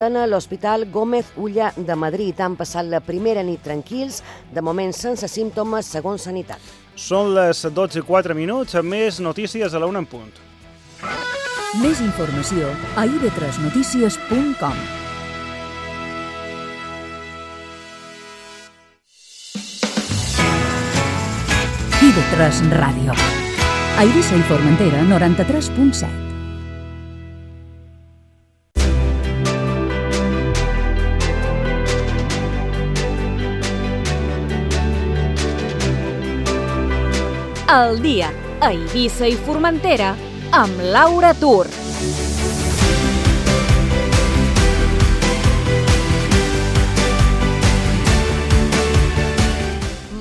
En l'Hospital Gómez Ulla de Madrid han passat la primera nit tranquils, de moment sense símptomes, segons Sanitat. Són les 12:04, més notícies a la 1 en punt. Més informació a ib3notícies.com. IB3 Ràdio. A Eivissa i Formentera, 93.7. El dia a Eivissa i Formentera amb Laura Tur.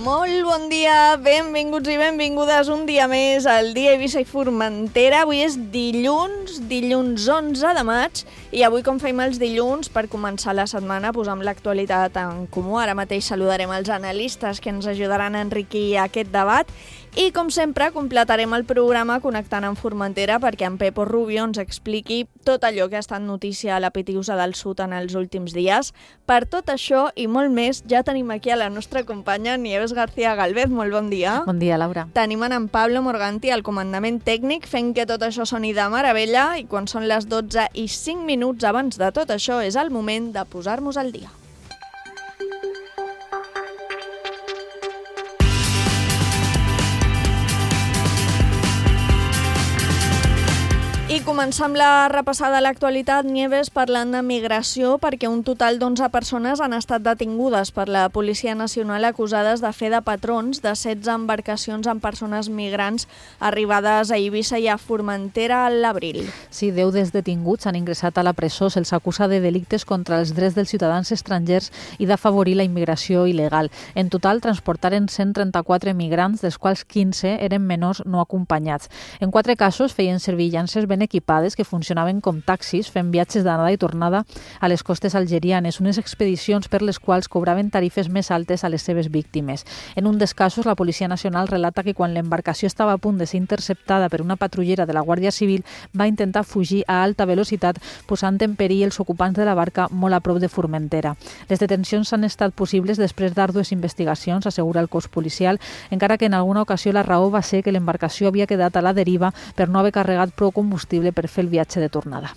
Molt bon dia, benvinguts i benvingudes un dia més al dia Eivissa i Formentera. Avui és dilluns 11 de maig i avui, com fem els dilluns, per començar la setmana posam l'actualitat en comú. Ara mateix saludarem els analistes que ens ajudaran a enriquir aquest debat i, com sempre, completarem el programa connectant amb Formentera perquè en Pepo Rubio ens expliqui tot allò que ha estat notícia a la Pitiusa del Sud en els últims dies. Per tot això i molt més, ja tenim aquí a la nostra companya Nieves García Galvez. Molt bon dia. Bon dia, Laura. Tenim en Pablo Morganti al comandament tècnic fent que tot això soni de meravella i quan són les 12:05 abans de tot això és el moment de posar-nos al dia. I començam la repassada a l'actualitat, Nieves, parlant de migració, perquè un total d'11 persones han estat detingudes per la Policia Nacional acusades de fer de patrons de 16 embarcacions amb persones migrants arribades a Eivissa i a Formentera a l'abril. Sí, 10 dels detinguts han ingressat a la presó. Se'ls acusa de delictes contra els drets dels ciutadans estrangers i d'afavorir la immigració il·legal. En total, transportaren 134 migrants, dels quals 15 eren menors no acompanyats. En 4 casos feien servir llances ben equipades que funcionaven com taxis fent viatges d'anada i tornada a les costes algerianes, unes expedicions per les quals cobraven tarifes més altes a les seves víctimes. En un dels casos, la Policia Nacional relata que quan l'embarcació estava a punt de ser interceptada per una patrullera de la Guàrdia Civil va intentar fugir a alta velocitat, posant en perill els ocupants de la barca molt a prop de Formentera. Les detencions han estat possibles després d'àrdues investigacions, assegura el cos policial, encara que en alguna ocasió la raó va ser que l'embarcació havia quedat a la deriva per no haver carregat prou combustible per fer el viatge de tornada.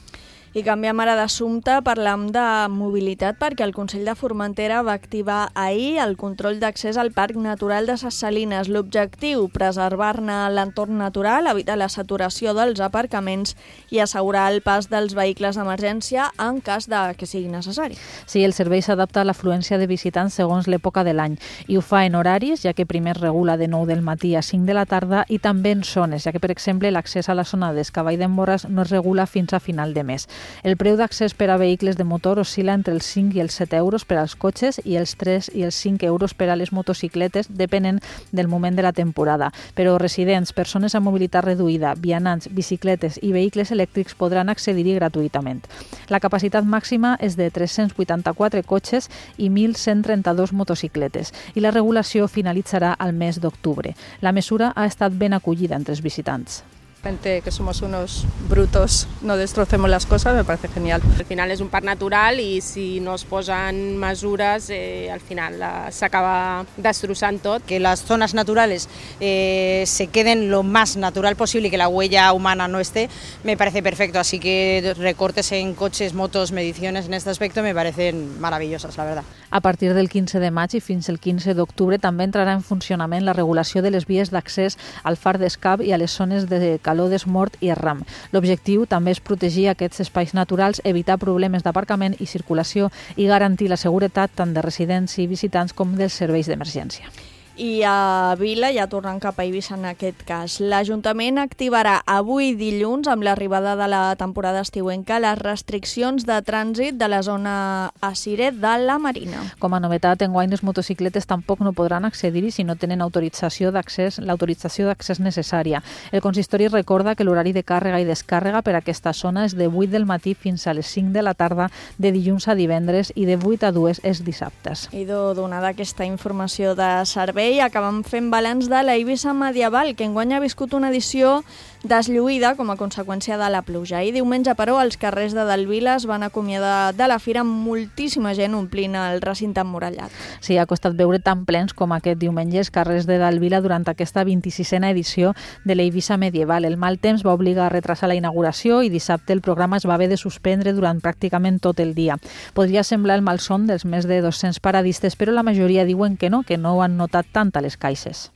I canviem ara d'assumpte, parlam de mobilitat perquè el Consell de Formentera va activar ahir el control d'accés al Parc Natural de Ses Salines. L'objectiu, preservar-ne l'entorn natural, evitar la saturació dels aparcaments i assegurar el pas dels vehicles d'emergència en cas de que sigui necessari. Sí, el servei s'adapta a l'afluència de visitants segons l'època de l'any i ho fa en horaris, ja que primer es regula de 9 del matí a 5 de la tarda i també en zones, ja que, per exemple, l'accés a la zona d'Escavall d'en Borràs no es regula fins a final de mes. El preu d'accés per a vehicles de motor oscil·la entre els 5 i els 7 euros per als cotxes i els 3 i els 5 euros per a les motocicletes, depenent del moment de la temporada. Però residents, persones amb mobilitat reduïda, vianants, bicicletes i vehicles elèctrics podran accedir-hi gratuïtament. La capacitat màxima és de 384 cotxes i 1.132 motocicletes i la regulació finalitzarà al mes d'octubre. La mesura ha estat ben acollida entre els visitants. Gente que somos unos brutos, no destrocemos las cosas, me parece genial. Al final es un parc natural y si no es posen mesures, al final s'acaba destrossant tot. Que las zonas naturales se queden lo más natural posible y que la huella humana no esté, me parece perfecto. Así que recortes en coches, motos, mediciones en este aspecto me parecen maravillosas, la verdad. A partir del 15 de maig i fins al 15 d'octubre també entrarà en funcionament la regulació de les vies d'accés al far d'Escap i a les zones de Caló d'Esmort i Erram. L'objectiu també és protegir aquests espais naturals, evitar problemes d'aparcament i circulació i garantir la seguretat tant de residents i visitants com dels serveis d'emergència. I a Vila, ja tornant cap a Eivissa en aquest cas, l'Ajuntament activarà avui dilluns, amb l'arribada de la temporada estiuenca, les restriccions de trànsit de la zona Asiret de la Marina. Com a novetat, enguany les motocicletes tampoc no podran accedir-hi si no tenen l'autorització d'accés necessària. El consistori recorda que l'horari de càrrega i descàrrega per a aquesta zona és de 8 del matí fins a les 5 de la tarda, de dilluns a divendres, i de 8 a 2 és dissabtes. I donada aquesta informació de servei, acabem fent balanç de la Eivissa medieval, que enguany ha viscut una edició deslluïda com a conseqüència de la pluja. I diumenge, però, els carrers de Delvila es van acomiadar de la fira amb moltíssima gent omplint el recinte emmurallat. Sí, ha costat veure tan plens com aquest diumenge els carrers de Delvila durant aquesta 26a edició de l'Eivissa medieval. El mal temps va obligar a retrasar la inauguració i dissabte el programa es va haver de suspendre durant pràcticament tot el dia. Podria semblar el malson dels més de 200 paradistes, però la majoria diuen que no ho han notat tant a les caixes.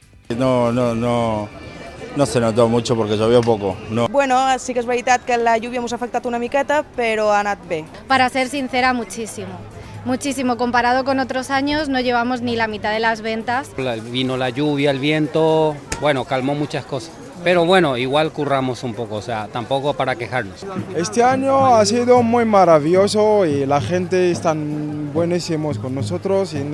No se notó mucho porque llovió poco. No. Bueno, sí que és veritat que la lluvia ens ha afectat una miqueta, però ha anat bé. Para ser sincera, muchísimo. Muchísimo. Comparado con otros años, no llevamos ni la mitad de las ventas. Vino la lluvia, el viento, bueno, calmó muchas cosas. Pero bueno, igual curramos un poco, o sea, tampoco para quejarnos. Este año ha sido muy maravilloso y la gente están buenísimos con nosotros y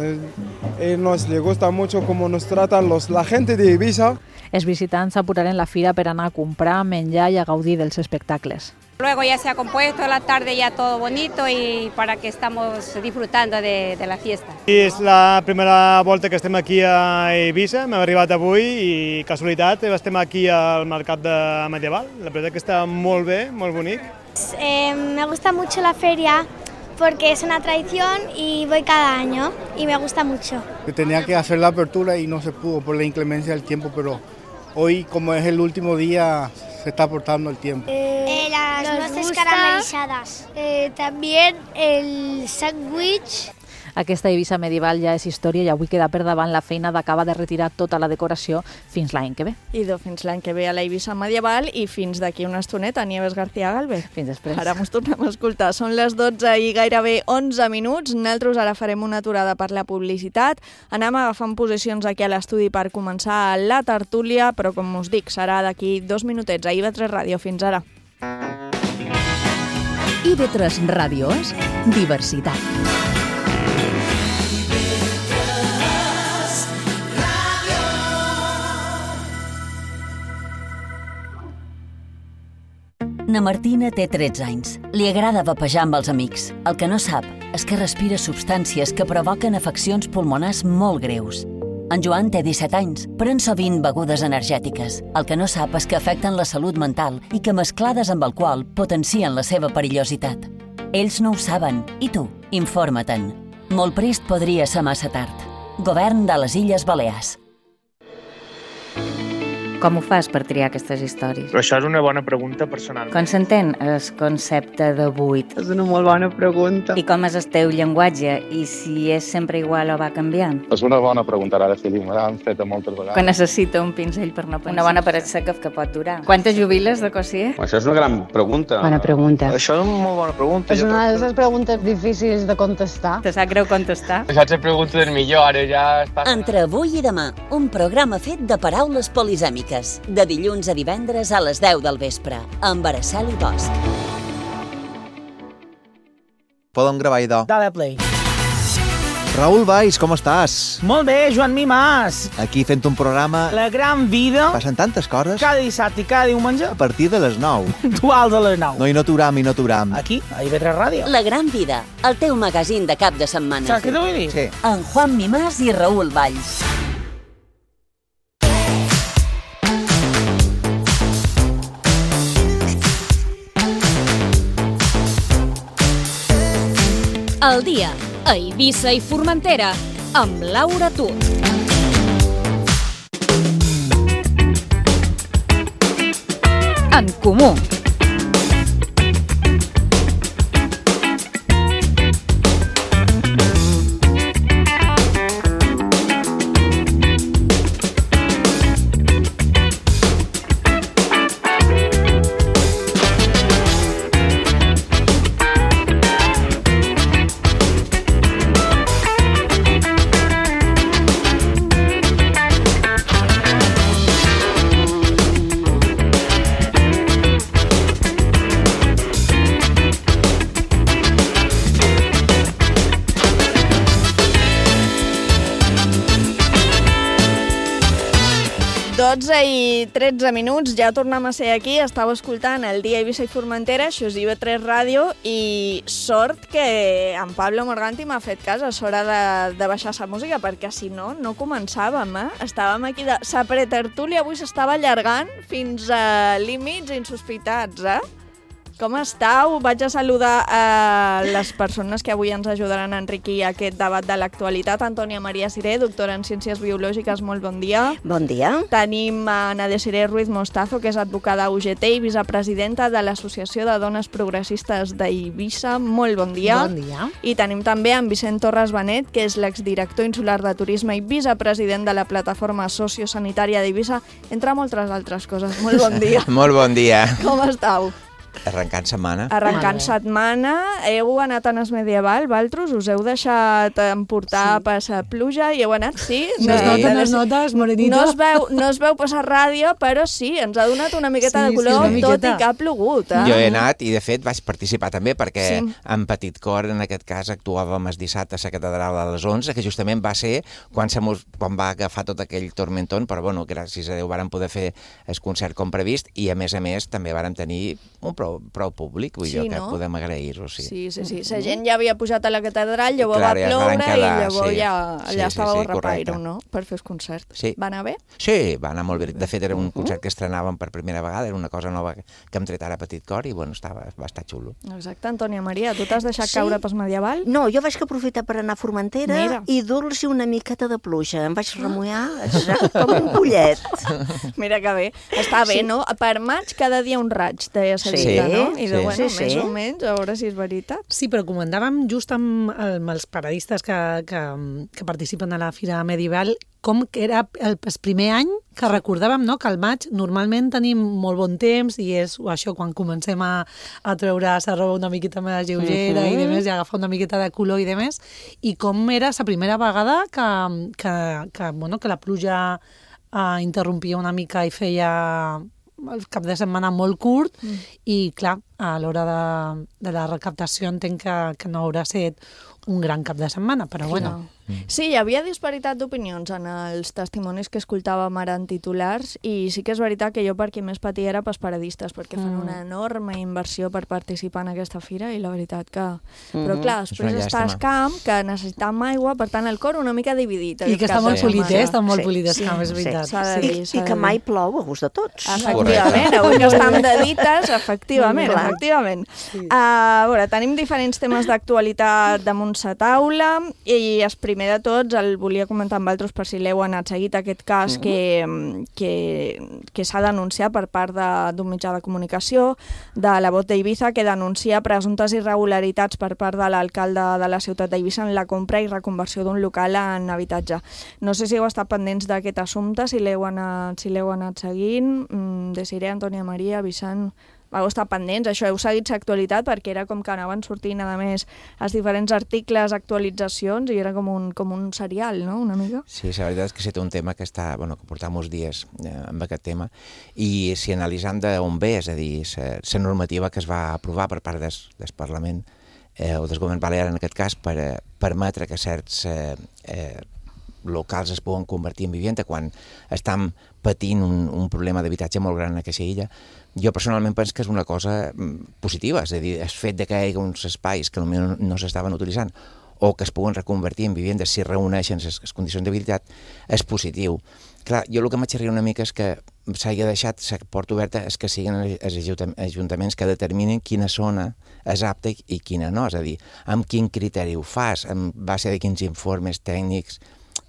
nos le gusta mucho cómo nos tratan la gente de Eivissa. Els visitants s'apuraren la fira per anar a comprar, menjar i a gaudir dels espectacles. Luego ya se ha compuesto la tarde ya todo bonito y para que estamos disfrutando de la fiesta. És la primera volta que estem aquí a Eivissa, hem arribat avui i casualitat estem aquí al mercat medieval. La veritat que està molt bé, molt bonic. Me gusta mucho la feria porque es una tradición y voy cada año y me gusta mucho. Tenía que hacer la apertura y no se pudo por la inclemencia del tiempo, pero hoy como es el último día se está aportando el tiempo. Las nueces caramelizadas. También el sándwich. Aquesta Eivissa medieval ja és història i avui queda per davant la feina d'acabar de retirar tota la decoració fins l'any que ve. Idò, fins l'any que ve a l'Eivissa medieval i fins d'aquí una estoneta, Nieves García Galvez. Fins després. Ara mos tornem a escoltar. Són les 12 i gairebé 11 minuts. Nosaltres ara farem una aturada per la publicitat. Anem agafant posicions aquí a l'estudi per començar la tertúlia, però com us dic, serà d'aquí 2 minutets a IB3 Ràdio. Fins ara. IB3 Ràdio és diversitat. Na Martina té 13 anys. Li agrada vapejar amb els amics. El que no sap és que respira substàncies que provoquen afeccions pulmonars molt greus. En Joan té 17 anys. Pren sovint begudes energètiques. El que no sap és que afecten la salut mental i que mesclades amb alcohol potencien la seva perillositat. Ells no ho saben. I tu? Informa-te'n. Molt prest podria ser massa tard. Govern de les Illes Balears. Com ho fas per triar aquestes històries? Però això és una bona pregunta personal. Com s'entén el concepte de buit? És una molt bona pregunta. I com és el teu llenguatge? I si és sempre igual o va canviant? És una bona pregunta, ara sí, me l'han fet moltes vegades. Que necessita un pinzell per no pensar. Una bona paret seca que pot durar. Quantes jubiles de cosier? Això és una gran pregunta. Bona pregunta. Això és una molt bona pregunta. És una de les preguntes difícils de contestar. Te sap greu contestar? Això és la pregunta del millor, ara ja està... Entre avui i demà, un programa fet de paraules polisèmiques. De dilluns a divendres a les 10 del vespre, amb Araceli Bosch. Podem gravar idò. Dale play. Raül Valls, com estàs? Molt bé, Joan Mimàs. Aquí fent un programa... La gran vida. Passen tantes coses. Cada dissabte i cada diumenge. A partir de les 9. Dual de les 9. No hi no aturam. Aquí, a IB3 Ràdio. La gran vida, el teu magazín de cap de setmana. Saps què t'ho vull dir? Sí. En Juan Mimàs i Raül Valls. El dia a Eivissa i Formentera amb Laura Tur. En Comú. 12:13, ja tornem a ser aquí, estàu escoltant el Dia Eivissa i Formentera, això és IB3 Ràdio, i sort que en Pablo Morganti m'ha fet cas, és hora de baixar la música, perquè si no, no començàvem, Estàvem aquí sa pretertúlia avui s'estava allargant fins a límits insospitats, Com estàu? Vaig a saludar a les persones que avui ens ajudaran a enriquir aquest debat de l'actualitat. Antònia Maria Siré, doctora en Ciències Biològiques, molt bon dia. Bon dia. Tenim a Ana Desiré Ruiz Mostazo, que és advocada UGT i vicepresidenta de l'Associació de Dones Progressistes d'Eivissa. Molt bon dia. Bon dia. I tenim també en Vicent Torres Benet, que és l'exdirector insular de Turisme i vicepresident de la Plataforma Sociosanitària d'Eivissa, entre moltes altres coses. Molt bon dia. Molt bon dia. Com estàu? Arrencant setmana. Arrencant setmana. Heu anat a Nas Medieval, Valtros? Us heu deixat emportar per la pluja i heu anat, sí? No es nota, és morenito. No es veu passar ràdio, però sí, ens ha donat una miqueta de color, tot i que ha plogut. Jo he anat i, de fet, vaig participar també, perquè en Petit Cor, en aquest cas, actuàvem el dissabte a la catedral a les 11, que justament va ser quan va agafar tot aquell tormentón, però, bueno, gràcies a Déu vàrem poder fer el concert com previst i, a més, també vàrem tenir un prou públic, vull dir que podem agrair-ho, sí. Sí. La gent ja havia pujat a la catedral, llavors va ploure i llavors ja allà estàveu a repaire, no?, per fer el concert. Va anar bé? Sí, va anar molt bé. De fet, era un concert que estrenàvem per primera vegada, era una cosa nova que hem tret ara a Petit Cor i, bueno, va estar xulo. Exacte. Antònia Maria, tu t'has deixat caure pel Medieval? No, jo vaig aprofitar per anar a Formentera i dur-los una miqueta de pluja. Em vaig remullar com un pollet. Mira que bé. Està bé, no? Per maig cada dia un raig, deia Sevita, no? I bueno, més o menys, a veure si és veritat. Sí, però comentàvem just amb els paradistes que participen a la Fira Medieval com que era el primer any que recordàvem, no?, que al maig normalment tenim molt bon temps i és això quan comencem a treure la roba una miqueta més lleugera i demés, i agafar una miqueta de color i demés, i com era la primera vegada que la pluja interrompia una mica i feia el cap de setmana molt curt i, clar, a l'hora de la recaptació entenc que no haurà estat un gran cap de setmana, però bueno. Sí, hi havia disparitat d'opinions en els testimonis que escoltàvem ara en titulars i sí que és veritat que jo per qui més patia era pels paradistes, perquè fan una enorme inversió per participar en aquesta fira i la veritat que... Però clar, després està el camp, que necessitam aigua, per tant el cor una mica dividit. I que està molt polit, està molt polit el camp, és veritat. I que mai plou a gust de tots. Efectivament, avui que estem de dites, efectivament. A veure, tenim diferents temes d'actualitat damunt la taula i el primer de tots el volia comentar amb altres per si l'heu anat seguit, aquest cas que s'ha denunciat per part d'un mitjà de comunicació de la Voz d'Eivissa, que denuncia presumptes irregularitats per part de l'alcalde de la ciutat d'Eivissa en la compra i reconversió d'un local en habitatge. No sé si heu estat pendents d'aquest assumpte, si l'heu anat seguint. Desiré, Antònia Maria, Vicent... Vau estar pendents, això, heu seguit l'actualitat perquè era com que anaven sortint, a més, els diferents articles, actualitzacions, i era com un serial, no?, una mica. Sí, la veritat és que és un tema que que portem uns dies amb aquest tema, i si analitzem d'on ve, és a dir, la normativa que es va aprovar per part del Parlament, o del govern balear en aquest cas, per permetre que certs locals es poden convertir en vivenda quan estan patint un problema d'habitatge molt gran en aquesta illa. Jo personalment penso que és una cosa positiva, és a dir, el fet que hi hagi uns espais que potser no s'estaven utilitzant o que es puguen reconvertir en vivendes si reuneixen les condicions d'habilitat és positiu. Clar, jo el que m'aixerria una mica és que s'hagi deixat la porta oberta és que siguin els ajuntaments que determinin quina zona és apta i quina no, és a dir, amb quin criteri ho fas, en base de quins informes tècnics,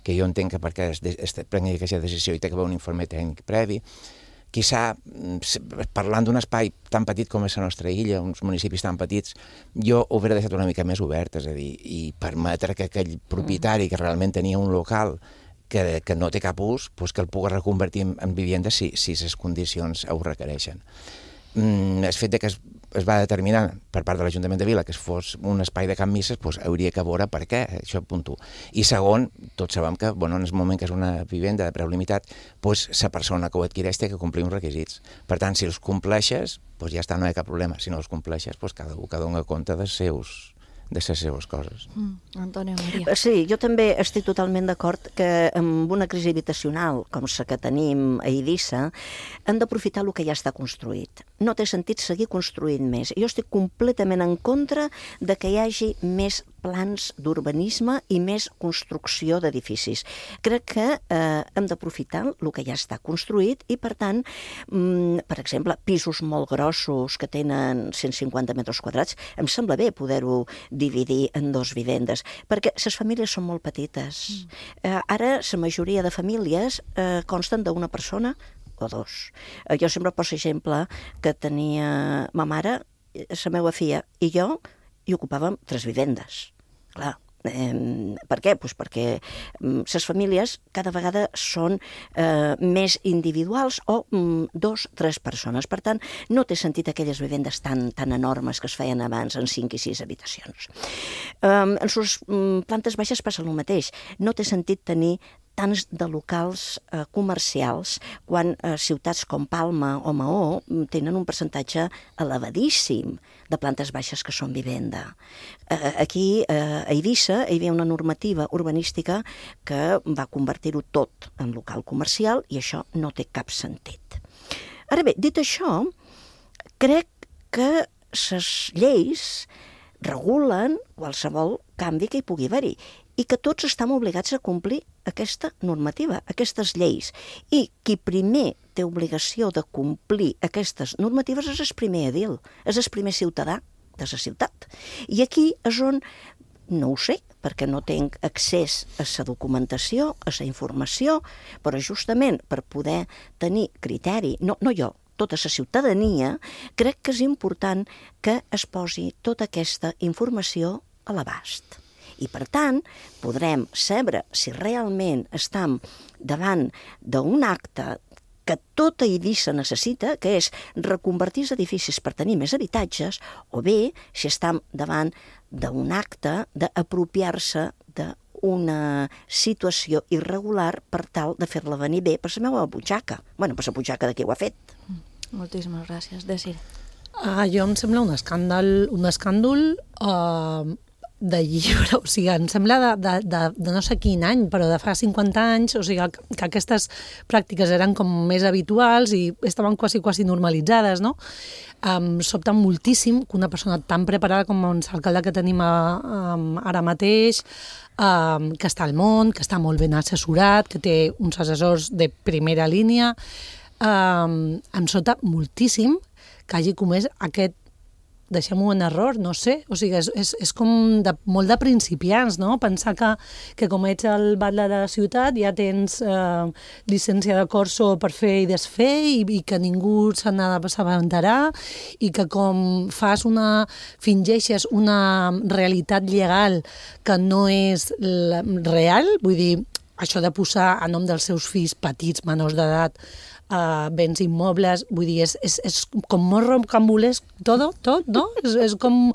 que jo entenc que perquè es prengui aquesta decisió i té que haver un informe tècnic previ. Quizà, parlant d'un espai tan petit com és la nostra illa, uns municipis tan petits, jo ho hauria deixat una mica més obert, és a dir, i permetre que aquell propietari que realment tenia un local que no té cap ús, que el pugui reconvertir en vivenda si les condicions ho requereixen. El fet que es va determinar per part de l'Ajuntament de Vila que fos un espai de camp misses, hauria que veure per què, això punto. I segon, tots sabem que en el moment que és una vivenda de preu limitat, la persona que ho adquireix té que complir uns requisits. Per tant, si els compleixes, ja està, no hi ha cap problema. Si no els compleixes, cada un que dona compte dels de les seves coses. Antonio Maria. Sí, jo també estic totalment d'acord que amb una crisi habitacional com la que tenim a Eivissa hem d'aprofitar el que ja està construït. No té sentit seguir construint més. Jo estic completament en contra de que hi hagi més plans d'urbanisme i més construcció d'edificis. Crec que hem d'aprofitar el que ja està construït i, per tant, per exemple, pisos molt grossos que tenen 150 metres quadrats, em sembla bé poder-ho dividir en 2 vivendes, perquè les famílies són molt petites. Ara, la majoria de famílies consten d'una persona o 2. Jo sempre poso exemple que tenia ma mare, la meva filla i jo, i ocupàvem 3 vivendes. Clar, per què? Pues perquè les famílies cada vegada són més individuals o 2, 3 persones. Per tant, no té sentit aquelles vivendes tan enormes que es feien abans en 5 i 6 habitacions. En les plantes baixes passa el mateix. No té sentit tenir tants de locals comercials quan ciutats com Palma o Maó tenen un percentatge elevadíssim de plantes baixes que són vivenda. Aquí, a Eivissa, hi havia una normativa urbanística que va convertir-ho tot en local comercial i això no té cap sentit. Ara bé, dit això, crec que les lleis regulen qualsevol canvi que hi pugui haver-hi i que tots estem obligats a complir aquesta normativa, aquestes lleis. I qui primer té obligació de complir aquestes normatives és el primer edil, és el primer ciutadà de la ciutat. I aquí és on, no ho sé, perquè no tinc accés a la documentació, a la informació, però justament per poder tenir criteri, no jo, tota la ciutadania, crec que és important que es posi tota aquesta informació a l'abast. I, per tant, podrem saber si realment estem davant d'un acte que tota Eivissa necessita, que és reconvertir els edificis per tenir més habitatges, o bé si estem davant d'un acte d'apropiar-se d'una situació irregular per tal de fer-la venir bé per la meva butxaca. Bueno, per la butxaca de qui ho ha fet. Moltíssimes gràcies. Desir. Jo em sembla un escàndol de llibre, o sigui, em sembla de no sé quin any, però de fa 50 anys, o sigui, que aquestes pràctiques eren com més habituals i estaven quasi normalitzades, no? Em sobta moltíssim que una persona tan preparada com l'alcalde que tenim ara mateix, que està al món, que està molt ben assessorat, que té uns assessors de primera línia, em sobta moltíssim que hagi comès aquest, deixem-ho en error, no sé, o sigui, és com molt de principiants, no? Pensar que com ets el batlle de la ciutat ja tens llicència de corso per fer i desfer i que ningú se n'ha d'assabentarà i que com fingeixes una realitat legal que no és real, vull dir, això de posar a nom dels seus fills petits, menors d'edat, béns immobles, vull dir, és com molt rocambolesc tot, no? És com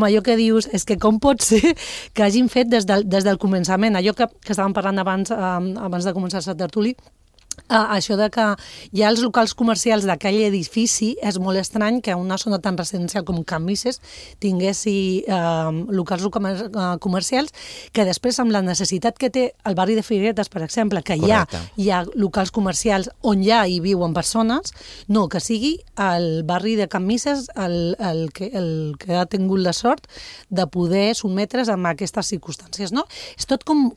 allò que dius, és que com pot ser que hagin fet des del començament, allò que estàvem parlant abans de començar la tertúlia, això de que hi ha els locals comercials d'aquell edifici, és molt estrany que una zona tan residencial com Can Misses tinguessi locals comercials que després, amb la necessitat que té el barri de Figueretes, per exemple, que hi ha locals comercials on ja hi viuen persones, no, que sigui el barri de Can Misses el que ha tingut la sort de poder sotmetre's a aquestes circumstàncies, no? És tot com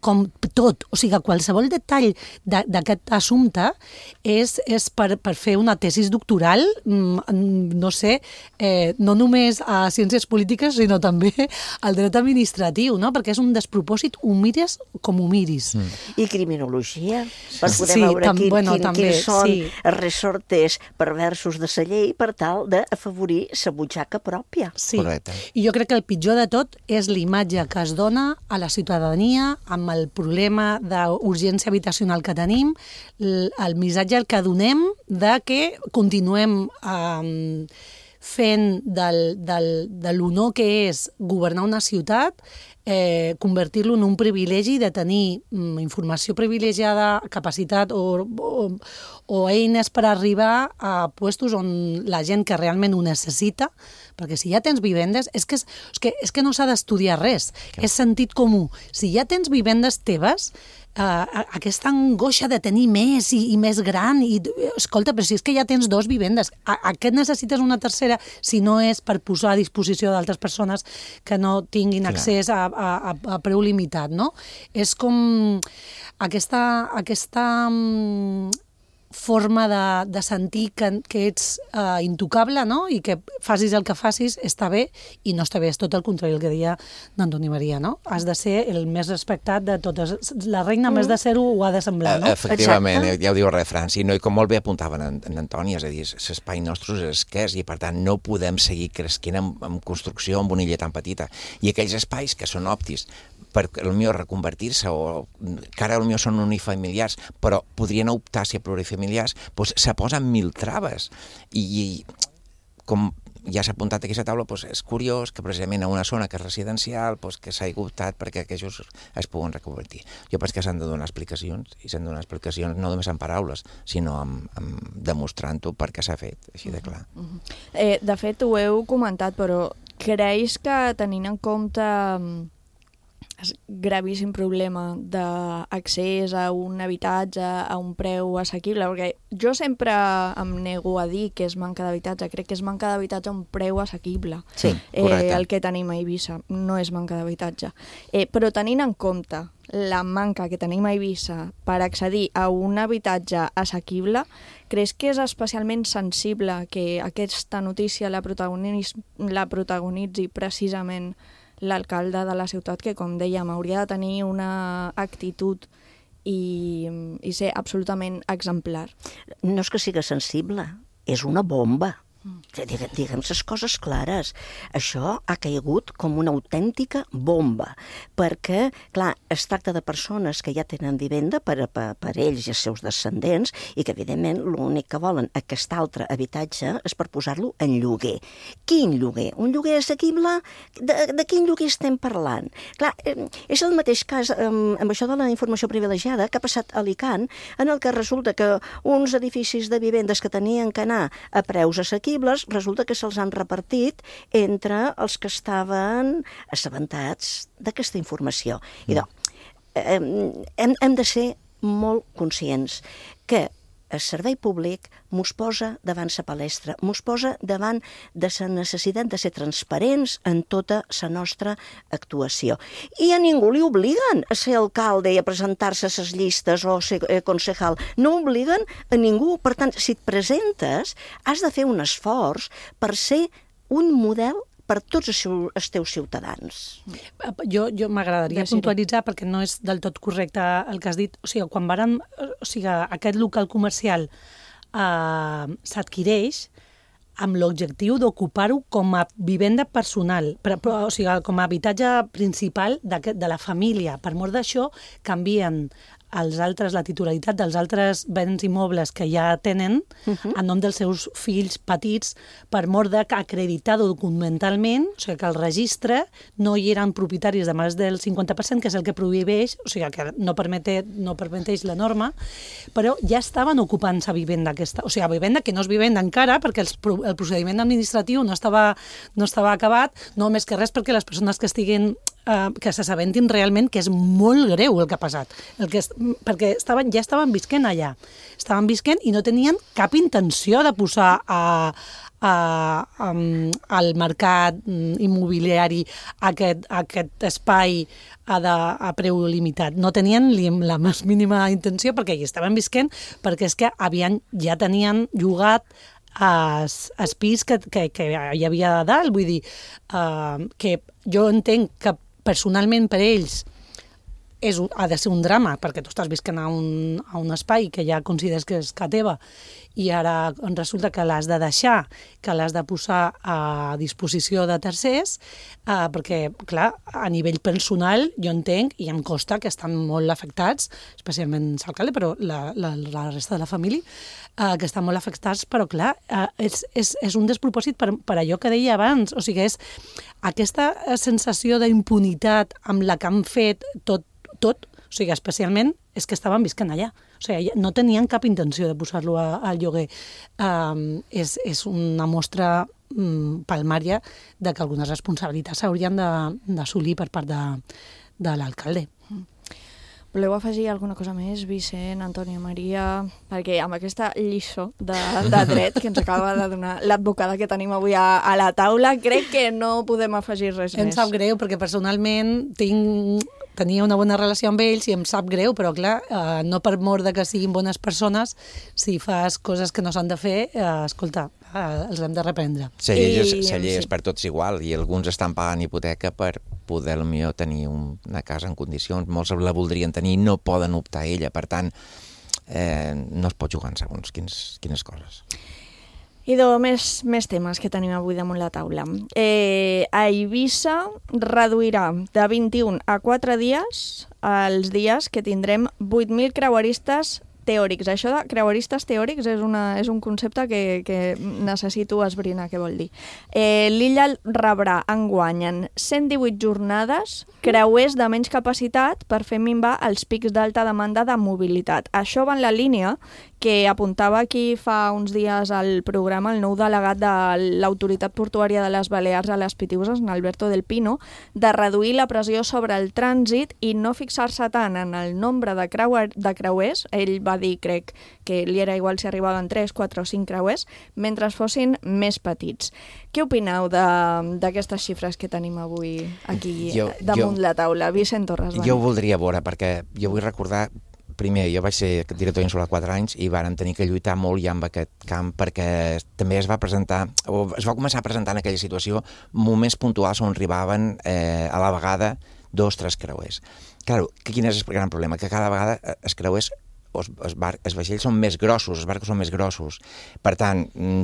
tot, o sigui, qualsevol detall d'aquest assumpte és per fer una tesis doctoral, no sé, no només a ciències polítiques, sinó també al dret administratiu, no? Perquè és un despropòsit, ho mires com ho miris. I criminologia, per poder veure quins són els resortes perversos de la llei per tal d'afavorir la butxaca pròpia. Sí, i jo crec que el pitjor de tot és l'imatge que es dona a la ciutadania amb el problema d'urgència habitacional que tenim, el missatge que donem de que continuem fent de l'honor que és governar una ciutat, convertir-lo en un privilegi de tenir informació privilegiada, capacitat o eines per arribar a puestos on la gent que realment ho necessita, perquè si ja tens vivendes, és que no s'ha d'estudiar res, és sentit comú. Si ja tens vivendes teves, aquesta angoixa de tenir més i més gran, i escolta, però si és que ja tens 2 vivendes, a què necessites una tercera si no és per posar a disposició d'altres persones que no tinguin accés a preu limitat, no? És com aquesta forma de sentir que ets intocable, no? I que facis el que facis està bé, i no està bé, és tot el contrari el que deia d'Antoni Maria, no? Has de ser el més respectat de totes. La reina, més de ser-ho, ho ha de semblar, no? Efectivament, ja ho diu el refrany, i com molt bé apuntaven en Antoni, és a dir, l'espai nostre és escàs i, per tant, no podem seguir cresquent en construcció amb una illa tan petita. I aquells espais que són òptics per potser reconvertir-se, o que ara potser són unifamiliars, però podrien optar a ser plurifamiliars, doncs se posen 1000 traves. I com ja s'ha apuntat aquí a la taula, és curiós que precisament a una zona que és residencial que s'hagi optat perquè aquells es puguen reconvertir. Jo penso que s'han de donar explicacions, i s'han de donar explicacions no només en paraules, sinó demostrant-ho perquè s'ha fet, així de clar. De fet, ho heu comentat, però creus que tenint en compte gravíssim problema d'accés a un habitatge a un preu assequible, perquè jo sempre em nego a dir que és manca d'habitatge, crec que és manca d'habitatge a un preu assequible. Sí, correcte. El que tenim a Eivissa, no és manca d'habitatge. Però tenint en compte la manca que tenim a Eivissa per accedir a un habitatge assequible, creus que és especialment sensible que aquesta notícia la protagonitzi precisament l'alcalde de la ciutat, que, com dèiem, hauria de tenir una actitud i ser absolutament exemplar? No és que sigui sensible, és una bomba. Diguem les coses clares. Això ha caigut com una autèntica bomba, perquè, clar, es tracta de persones que ja tenen vivenda per ells i els seus descendents, i que, evidentment, l'únic que volen aquest altre habitatge és per posar-lo en lloguer. Quin lloguer? Un lloguer assequible? De quin lloguer estem parlant? Clar, és el mateix cas amb això de la informació privilegiada que ha passat a Alicant, en el que resulta que uns edificis de vivendes que tenien que anar a preus assequibles resulta que se'ls han repartit entre els que estaven assabentats d'aquesta informació. I hem de ser molt conscients que el servei públic mos posa davant la palestra, mos posa davant de la necessitat de ser transparents en tota la nostra actuació. I a ningú li obliguen a ser alcalde i a presentar-se a les llistes o ser concejal. No obliguen a ningú. Per tant, si et presentes, has de fer un esforç per ser un model per tots els teus ciutadans. Jo m'agradaria puntualitzar, perquè no és del tot correcte el que has dit. O sigui, quan aquest local comercial s'adquireix amb l'objectiu d'ocupar-ho com a vivenda personal, o sigui, com a habitatge principal de la família. Per mort d'això, canvien la titularitat dels altres béns immobles que ja tenen en nom dels seus fills petits, per mort d'acreditar documentalment, o sigui, que el registre no hi eren propietaris de més del 50%, que és el que prohibeix, o sigui, que no permeteix la norma, però ja estaven ocupant la vivenda aquesta, o sigui, vivenda que no és vivenda encara, perquè el procediment administratiu no estava acabat, no més que res perquè les persones que estiguin que s'assabentin realment que és molt greu el que ha passat, perquè ja estaven visquent allà, i no tenien cap intenció de posar al mercat immobiliari aquest espai a preu limitat. No tenien la més mínima intenció, perquè hi estaven visquent, perquè és que ja tenien llogat el pis que hi havia a dalt. Vull dir que jo entenc que personalment per ells ha de ser un drama, perquè tu estàs visquent a un espai que ja consideres que és casa teva i ara resulta que l'has de deixar, que l'has de posar a disposició de tercers, perquè, clar, a nivell personal jo entenc i em costa que estan molt afectats, especialment l'alcalde, però la resta de la família, que estan molt afectats, però clar, és un despropòsit per allò que deia abans, o sigui, és aquesta sensació d'impunitat amb la que han fet tot, o sigui, especialment és que estaven visquent allà. O sigui, no tenien cap intenció de posar-lo al lloguer. És una mostra palmària de que algunes responsabilitats s'haurien d'assolir per part de l'alcalde. Voleu afegir alguna cosa més, Vicent, Antònia, Maria? Perquè amb aquesta lliçó de dret que ens acaba de donar l'advocada que tenim avui a la taula, crec que no podem afegir res més. Em sap greu, perquè personalment tenia una bona relació amb ells i em sap greu, però clar, no per mort de que siguin bones persones, si fas coses que no s'han de fer, escolta, els hem de reprendre. La llei és per tots igual i alguns estan pagant hipoteca per poder potser tenir una casa en condicions, molts la voldrien tenir i no poden optar a ella, per tant no es pot jugar en segons quines coses. Idò, més temes que tenim avui damunt la taula. A Eivissa reduirà de 21 a 4 dies els dies que tindrem 8.000 creueristes teòrics. Això de creueristes teòrics és un concepte que necessito esbrinar què vol dir. L'illa rebrà enguany en 118 jornades creuers de menys capacitat per fer minvar els pics d'alta demanda de mobilitat. Això va en la línia que apuntava aquí fa uns dies al programa el nou delegat de l'Autoritat Portuària de les Balears a les Pitiüses, en Alberto del Pino, de reduir la pressió sobre el trànsit i no fixar-se tant en el nombre de creuers. Ell va dir, crec, que li era igual si arribaven 3, 4 o 5 creuers, mentre fossin més petits. Què opineu d'aquestes xifres que tenim avui aquí damunt la taula? Vicent Torres. Jo ho voldria veure, perquè jo vull recordar. Primer, jo vaig ser director insular 4 anys i vàrem tenir que lluitar molt ja amb aquest camp perquè també es va començar a presentar en aquella situació moments puntuals on arribaven a la vegada 2 o 3 creuers. Clar, quin és el gran problema? Que cada vegada els creuers, els vaixells són més grossos, els barcos són més grossos. Per tant,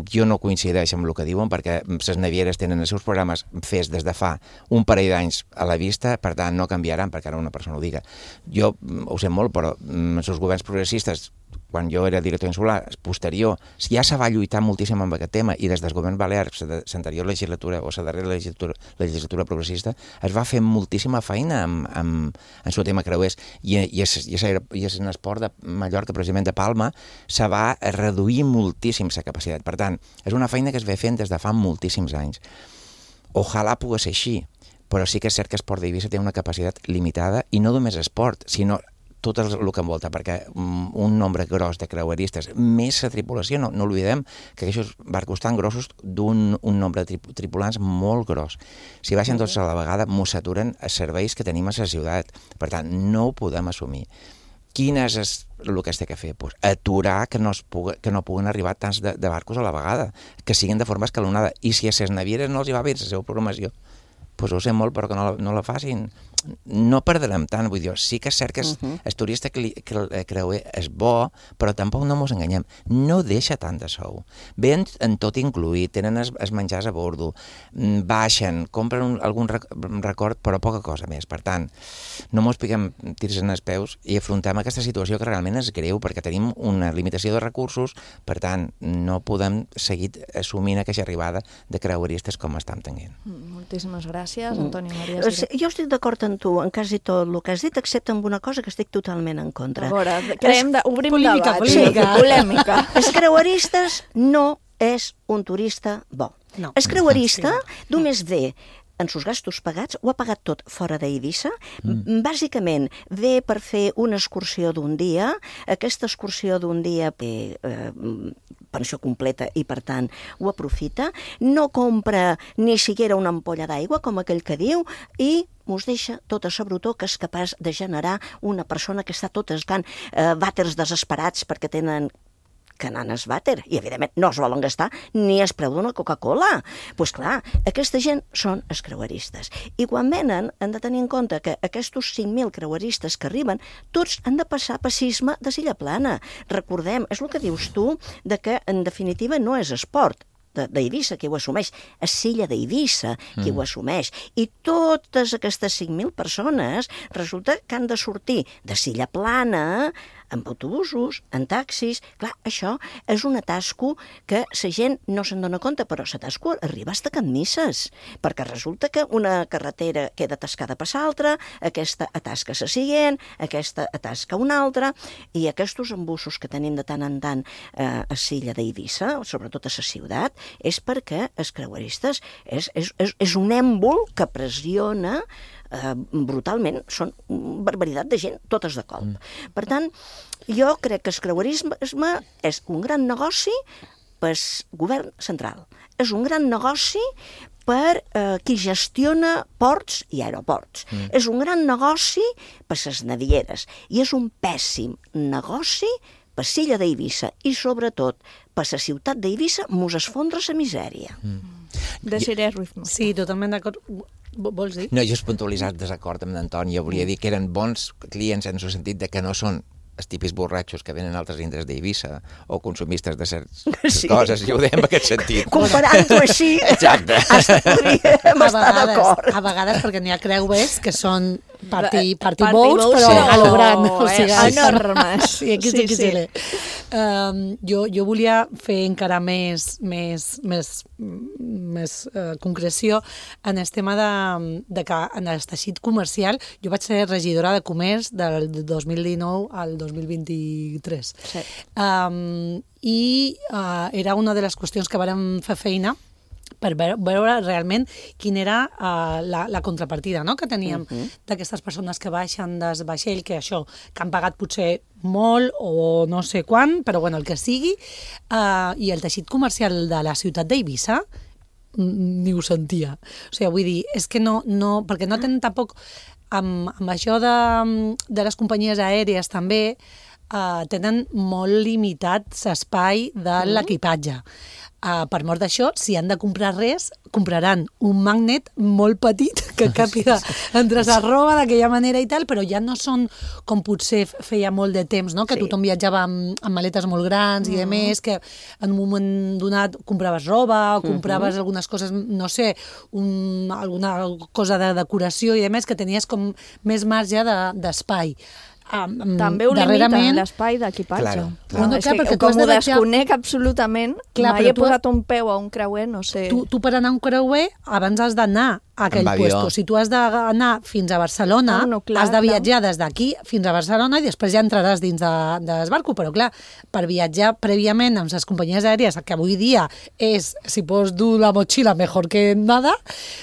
jo no coincideixo amb el que diuen perquè les navieres tenen els seus programes fets des de fa un parell d'anys a la vista, per tant no canviaran perquè ara una persona ho diga. Jo ho sé molt, però els seus governs progressistes, quan jo era director insular, posterior, ja se va lluitar moltíssim amb aquest tema i des del govern balear, l'anterior legislatura o la darrera legislatura progressista, es va fer moltíssima feina amb el tema creuers i en esport de Mallorca, precisament de Palma, se va reduir moltíssim la capacitat. Per tant, és una feina que es ve fent des de fa moltíssims anys. Ojalà pogués ser així, però sí que és cert que Esport d'Eivissa té una capacitat limitada i no només esport, sinó tot el que envolta, perquè un nombre gros de creueristes, més la tripulació, no oblidem que aquests barcos tan grossos d'un nombre de tripulants molt gros. Si baixen tots a la vegada, mos saturen els serveis que tenim a la ciutat. Per tant, no ho podem assumir. Quin és el que es té que fer? Pues aturar que no puguen arribar tants de barcos a la vegada, que siguin de forma escalonada. I si a les navieres no els hi va bé la seva programació, pues ho sé molt, però que no la facin. No perdrem tant, vull dir, sí que és cert que el turista creuer és bo, però tampoc no ens enganyem, no deixa tant de sou. Ven en tot incluït, tenen els menjars a bordo, baixen, compren algun record, però poca cosa més. Per tant, no ens piquem tirs en els peus i afrontem aquesta situació que realment és greu, perquè tenim una limitació de recursos, per tant, no podem seguir assumint aquesta arribada de creueristes com estem tenint. Moltíssimes gràcies, Antònia Maria. Jo estic d'acord amb tu en quasi tot el que has dit, excepte amb una cosa que estic totalment en contra. A veure, obrim polímica, debat. Polímica. Sí, polèmica. Els creueristes no és un turista bo. No. El creuerista només ve en sus gastos pagats, ho ha pagat tot fora d'Eivissa. Bàsicament, ve per fer una excursió d'un dia. Aquesta excursió d'un dia té pensió completa i, per tant, ho aprofita. No compra ni siquiera una ampolla d'aigua, com aquell que diu, i us deixa tota la brutó que és capaç de generar una persona que està tot escant vàters desesperats perquè tenen que nanes vàter, i evidentment no es volen gastar ni el preu d'una Coca-Cola. Doncs clar, aquesta gent són els creueristes. I quan venen han de tenir en compte que aquests 5.000 creueristes que arriben, tots han de passar per sisme de Silla Plana. Recordem, és el que dius tu, de que en definitiva no és esport d'Eivissa qui ho assumeix, és Silla d'Eivissa qui ho assumeix. I totes aquestes 5.000 persones resulta que han de sortir de Silla Plana amb autobusos, en taxis. Clar, això és un atasco que la gent no se'n dona compte, però l'atasco arriba fins a Can Misses, perquè resulta que una carretera queda atascada per l'altra, aquesta atasca la següent, aquesta atasca una altra, i aquests embussos que tenim de tant en tant a Silla d'Eivissa, sobretot a la ciutat, és perquè els creueristes és un èmbol que pressiona brutalment, són barbaritat de gent, totes de colp. Per tant, jo crec que el creuerisme és un gran negoci per al govern central. És un gran negoci per qui gestiona ports i aeroports. És un gran negoci per les navieres i és un pèssim negoci per Silla d'Eivissa i, sobretot, per la ciutat d'Eivissa mos esfondra la misèria. Desiré Ruiz. Sí, totalment d'acord. Vols dir? No, jo és puntualitzat desacord amb l'Antoni. Jo volia dir que eren bons clients en el sentit de que no són els típics borratxos que venen a altres indrets d'Eivissa o consumistes de certes coses, i ho deiem en aquest sentit. Comparant-ho així, exacte. Podríem estar d'acord. A vegades, perquè n'hi ha creuers que són party bowls, però a lo gran. Enormes. Sí, XXL. Jo volia fer encara més concreció en el tema de que en el teixit comercial, jo vaig ser regidora de comerç del 2019 al 2023. Sí. I era una de les qüestions que vàrem fer feina per veure realment quina era la contrapartida, no?, que teníem d'aquestes persones que baixen del vaixell, que això, que han pagat potser molt o no sé quan, però bueno, el que sigui, i el teixit comercial de la ciutat d'Eivissa ni ho sentia. O sigui, vull dir, és que no perquè no tenen tampoc, amb això de les companyies aèries també, tenen molt limitat l'espai de l'equipatge. Per mort d'això, si han de comprar res, compraran un magnet molt petit que càpiga entre la roba d'aquella manera i tal, però ja no són com potser feia molt de temps, no?, que tothom viatjava amb maletes molt grans i de més, que en un moment donat compraves roba o compraves algunes coses, no sé, alguna cosa de decoració i de més, que tenies com més marge d'espai. També ho limiten, l'espai d'equipatge. Com ho desconec absolutament, mai he posat un peu a un creuer, no sé. Tu per anar a un creuer abans has d'anar a aquell puesto. Si tu has d'anar fins a Barcelona, has de viatjar des d'aquí fins a Barcelona i després ja entraràs dins del barco. Però clar, per viatjar prèviament amb les companyies aèries, que avui dia és, si pots dur la motxilla mejor que nada,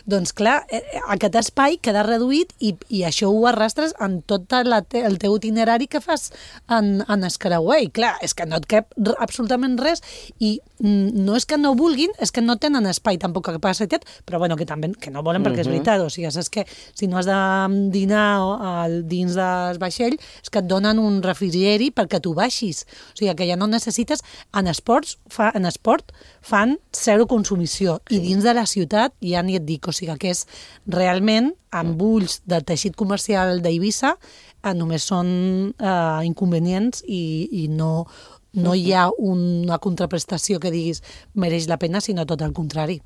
doncs clar, aquest espai queda reduït i això ho arrastres en tot el teu itinerari que fas en el creuer. I clar, és que no et cap absolutament res i no és que no vulguin, és que no tenen espai tampoc a capacitat, però bueno, que també que no volen perquè és veritat, o sigui, saps que si no has de dinar dins del vaixell és que et donen un refrigeri perquè tu baixis, o sigui que ja no necessites. En esport fan zero consumició i dins de la ciutat ja ni et dic, o sigui que és realment amb ulls del teixit comercial d'Eivissa només són inconvenients i no hi ha una contraprestació que diguis mereix la pena, sinó tot el contrari.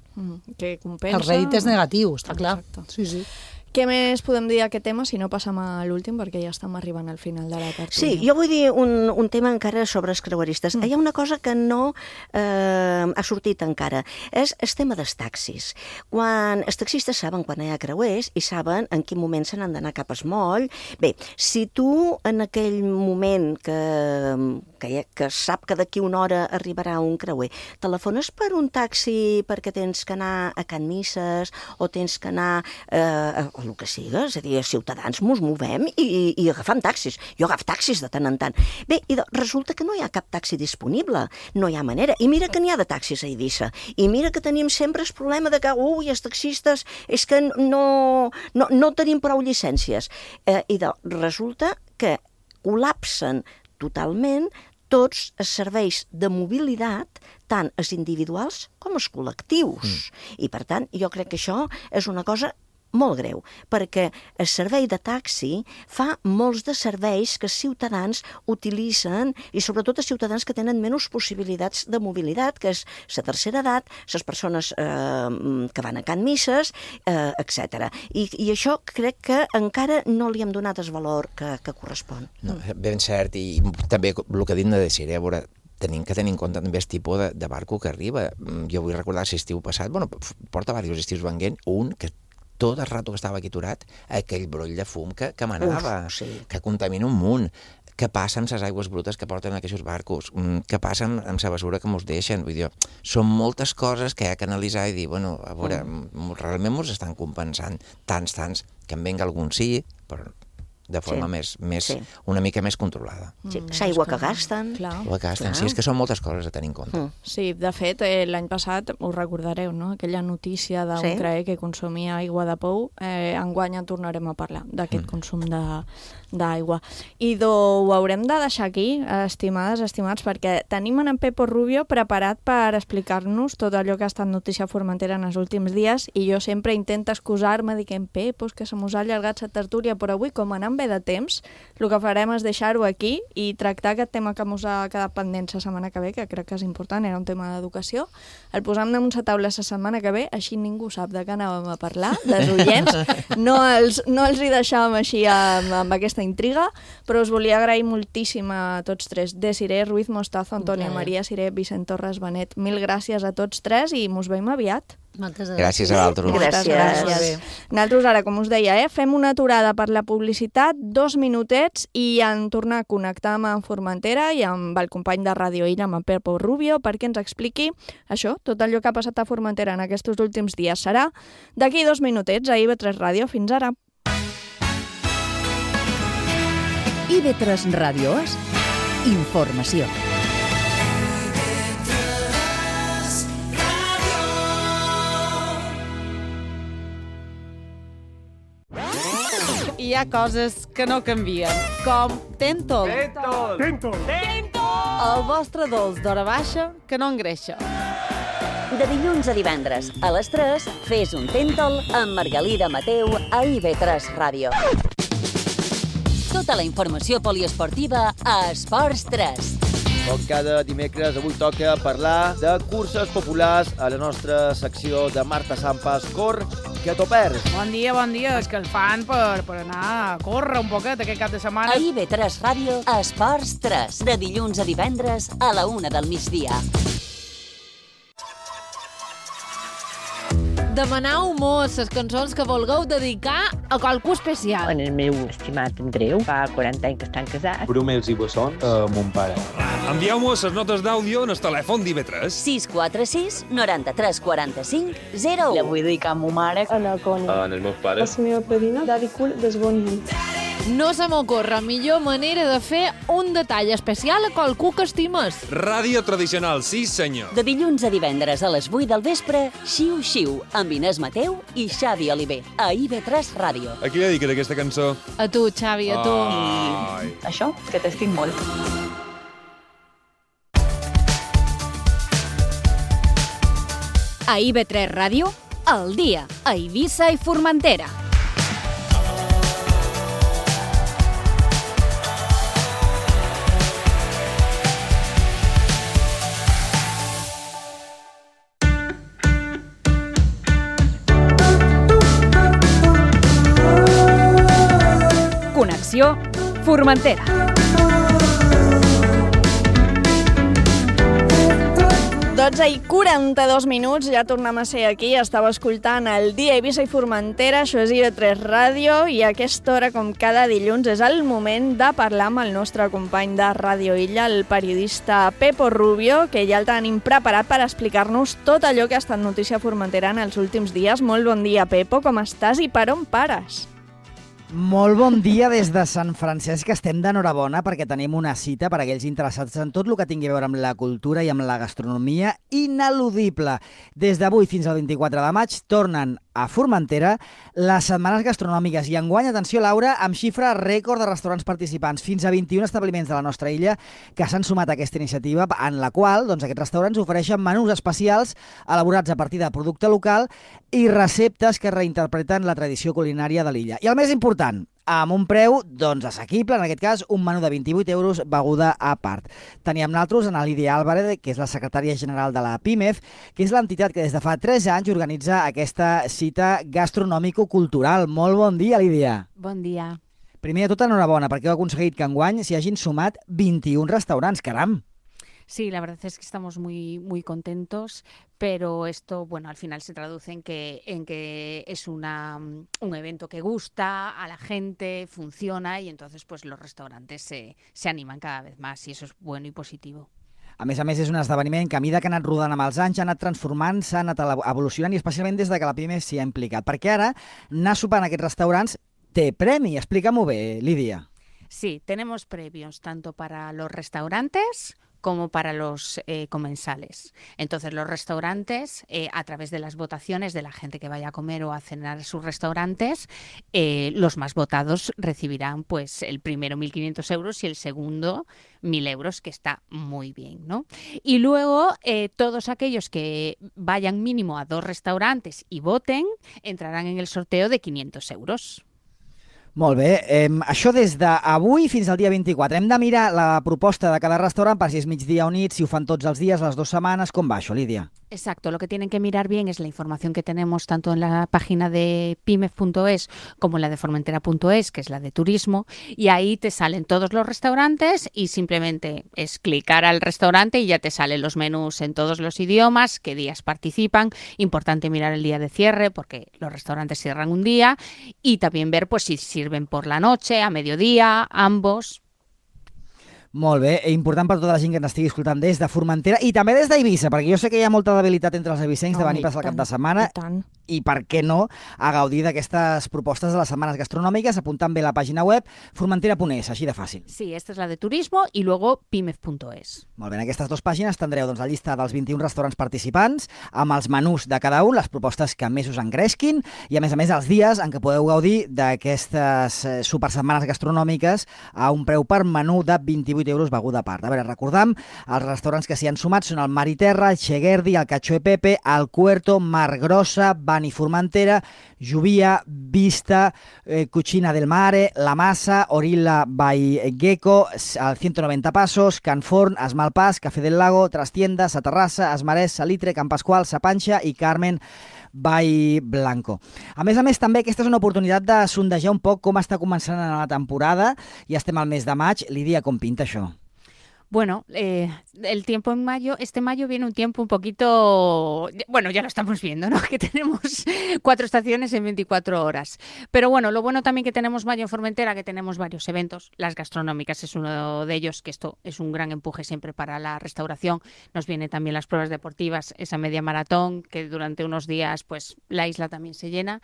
Que compensa. El rèdit és negatiu, està clar. Sí, sí. Què més podem dir d'aquest tema si no passem a l'últim, perquè ja estem arribant al final de la tertúlia? Sí, jo vull dir un tema encara sobre els creueristes. Hi ha una cosa que no ha sortit encara, és el tema dels taxis. Quan els taxistes saben quan hi ha creuers i saben en quin moment se n'han d'anar cap al moll. Bé, si tu en aquell moment que sap que d'aquí una hora arribarà un creuer, telefones per un taxi perquè tens que anar a Can Misses o tens que anar o el que siga, és a dir, els ciutadans mos movem i agafam taxis. Jo agafo taxis de tant en tant. Bé, i resulta que no hi ha cap taxi disponible, no hi ha manera. I mira que n'hi ha de taxis a Eivissa. I mira que tenim sempre el problema de que, els taxistes és que no tenim prou llicències. I resulta que col·lapsen totalment tots els serveis de mobilitat, tant els individuals com els col·lectius. I, per tant, jo crec que això és una cosa molt greu, perquè el servei de taxi fa molts de serveis que els ciutadans utilitzen, i sobretot els ciutadans que tenen menys possibilitats de mobilitat, que és la tercera edat, les persones que van a can misses, etc. I això crec que encara no li hem donat el valor que correspon. No, ben cert, i també el que ha dit de Desiree, a veure, tenim que tenir en compte també el tipus de barco que arriba. Jo vull recordar l'estiu passat, porta diversos estius venguent, un que tot el rato que estava aquí aturat, aquell broll de fum que manava, que contamina un munt. Què passa amb les aigües brutes que porten aquests barcos? Què passa amb la basura que mos deixen? Vull dir, són moltes coses que hi ha que analitzar i dir, bueno, a veure, realment mos estan compensant tants, que en venga algun sí, però de forma una mica més controlada. Sí, l'aigua que gasten. Sí, és que són moltes coses a tenir en compte. Sí, de fet, l'any passat, us recordareu, no?, aquella notícia d'un creuer que consumia aigua de pou. Enguany en tornarem a parlar d'aquest consum d'aigua. I ho haurem de deixar aquí, estimades, estimats, perquè tenim en Pepo Rubio preparat per explicar-nos tot allò que ha estat notícia a Formentera en els últims dies, i jo sempre intento excusar-me dient, Pepo, és que se mos ha allargat la tertúlia, però avui, com anant bé de temps, el que farem és deixar-ho aquí i tractar aquest tema que mos ha quedat pendent la setmana que ve, que crec que és important, era un tema d'educació. El posam damunt la taula la setmana que ve, així ningú sap de què anàvem a parlar, dels oients. No els hi deixàvem així amb aquesta intriga, però us volia agrair moltíssim a tots tres. Desiree Ruiz Mostazo, Antònia Maria Siré, Vicent Torres Benet. Mil gràcies a tots tres i mos veiem aviat. Moltes gràcies a l'altre. Gràcies. Nosaltres ara, com us deia, fem una aturada per la publicitat, 2 minutets, i en tornar a connectar amb Formentera i amb el company de Ràdio Illa, amb Pepo Rubio, perquè ens expliqui això, tot allò que ha passat a Formentera en aquests últims dies. Serà d'aquí 2 minutets a IB3 Ràdio. Fins ara. IB3 Ràdio és informació. Hi ha coses que no canvien, com Tentol. Tentol. El vostre dolç d'hora baixa que no engreixa. De dilluns a divendres, a les 3, fes un Tentol amb Margalida Mateu a IB3 Ràdio. Tota la informació poliesportiva a Esports 3. Com cada dimecres, avui toca parlar de curses populars a la nostra secció de Marta Sampas Cor, que t'ho perds. Bon dia, és que el fan per anar a córrer un poquet aquest cap de setmana. A IB3 Ràdio, Esports 3, de dilluns a divendres a la 1 del migdia. Demaneu-mos les cançons que vulgueu dedicar a qualcú especial. En el meu estimat Andreu, fa 40 anys que estan casats. Brumels i bessons a mon pare. Envieu-nos les notes d'àudio en el telèfon d'IB3. 646 93 45 01. La vull dedicar a ma mare. A la Cònia. En els meus pares. La meva padrina, Dari Cul d'Esbonian. No se m'ocorre millor manera de fer un detall especial a qualcú que estimes. Ràdio tradicional, sí senyor. De dilluns a divendres a les 8 del vespre, Xiu Xiu, amb Inés Mateu i Xavi Oliver, a IB3 Ràdio. A qui dediques aquesta cançó? A tu, Xavi, a tu. I això, que t'estic molt. A IB3 Ràdio, al dia, a Eivissa i Formentera. Connexió Formentera. Doncs i 42 minuts, ja tornem a ser aquí, estava escoltant el Dia Eivissa i Formentera, això és IB3 Ràdio, i a aquesta hora, com cada dilluns, és el moment de parlar amb el nostre company de Ràdio Illa, el periodista Pepo Rubio, que ja el tenim preparat per explicar-nos tot allò que ha estat notícia a Formentera en els últims dies. Molt bon dia, Pepo, com estàs i per on pares? Molt bon dia des de Sant Francesc, que estem d'enhorabona perquè tenim una cita per a aquells interessats en tot el que tingui a veure amb la cultura i amb la gastronomia ineludible. Des d'avui fins al 24 de maig tornen a Formentera les setmanes gastronòmiques. I enguany, atenció, Laura, amb xifra rècord de restaurants participants. Fins a 21 establiments de la nostra illa que s'han sumat a aquesta iniciativa, en la qual aquests restaurants ofereixen menús especials elaborats a partir de producte local i receptes que reinterpreten la tradició culinària de l'illa. I el més important, amb un preu assequible, en aquest cas un menú de 28 euros, beguda a part. Teníem nosaltres a Lídia Álvarez, que és la secretària general de la PIMEF, que és l'entitat que des de fa 3 anys organitza aquesta cita gastronòmico-cultural. Molt bon dia, Lídia. Bon dia. Primer de tot, enhorabona, perquè heu aconseguit que enguany s'hi hagin sumat 21 restaurants, caram! Sí, la verdad es que estamos muy contentos, pero esto, al final se traduce en que es un evento que gusta a la gente, funciona y entonces pues los restaurantes se animan cada vez más y eso es bueno y positivo. A més, és un esdeveniment que a mesura que ha anat rodant amb els anys, ha anat transformant, s'ha anat evolucionant i especialment des de que la PIMEF s'hi ha implicat. Perquè ara anar sopant a aquests restaurants té premi. Explica-m'ho bé, Lídia. Sí, tenemos premios tanto para los restaurantes como para los comensales. Entonces, los restaurantes, a través de las votaciones de la gente que vaya a comer o a cenar a sus restaurantes, los más votados recibirán pues el primero 1.500 euros y el segundo 1.000 euros, que está muy bien, ¿no? Y luego, todos aquellos que vayan mínimo a 2 restaurantes y voten, entrarán en el sorteo de 500 euros. Molt bé. Això des d'avui fins al dia 24. Hem de mirar la proposta de cada restaurant per si és migdia o nit, si ho fan tots els dies, les 2 setmanes. Com va això, Lídia? Exacto, lo que tienen que mirar bien es la información que tenemos tanto en la página de pimef.es como en la de formentera.es, que es la de turismo, y ahí te salen todos los restaurantes y simplemente es clicar al restaurante y ya te salen los menús en todos los idiomas, qué días participan. Importante mirar el día de cierre porque los restaurantes cierran un día y también ver pues si sirven por la noche, a mediodía, ambos. Molt bé, important per tota la gent que ens estigui escoltant des de Formentera i també des d'Eivissa, perquè jo sé que hi ha molta debilitat entre els eivissencs de venir a passar el cap de setmana i per què no a gaudir d'aquestes propostes de les setmanes gastronòmiques, apuntant bé la pàgina web formentera.es, així de fàcil. Sí, esta es la de turismo y luego pimef.es. Molt bé, en aquestes 2 pàgines tindreu la llista dels 21 restaurants participants amb els menús de cada un, les propostes que més us engresquin i a més els dies en què podeu gaudir d'aquestes supersetmanes gastronòmiques a un preu per menú de 28 euros beguda a part. A veure, recordam, els restaurants que s'hi han sumat són el Mar i Terra, el Cheguerdi, el Cacho e Pepe, el Cuerto, Mar Grossa, Bani Formentera, Lluvia, Vista, Cucina del Mare, La Massa, Orilla by Gecko, el 190 Passos, Can Forn, Esmalpàs, Café del Lago, Trastienda, Sa Terrassa, Esmarès, Salitre, Can Pasqual, Sa Panxa i Carmen by Blanco. A més, també aquesta és una oportunitat de sondejar un poc com està començant la temporada. Ja estem al mes de maig. Lídia, com pinta això? Bueno, el tiempo en mayo, este mayo viene un tiempo un poquito, ya lo estamos viendo, ¿no? Que tenemos 4 estaciones en 24 horas. Pero bueno, lo bueno también que tenemos mayo en Formentera, que tenemos varios eventos. Las gastronómicas es uno de ellos, que esto es un gran empuje siempre para la restauración. Nos vienen también las pruebas deportivas, esa media maratón, que durante unos días pues la isla también se llena.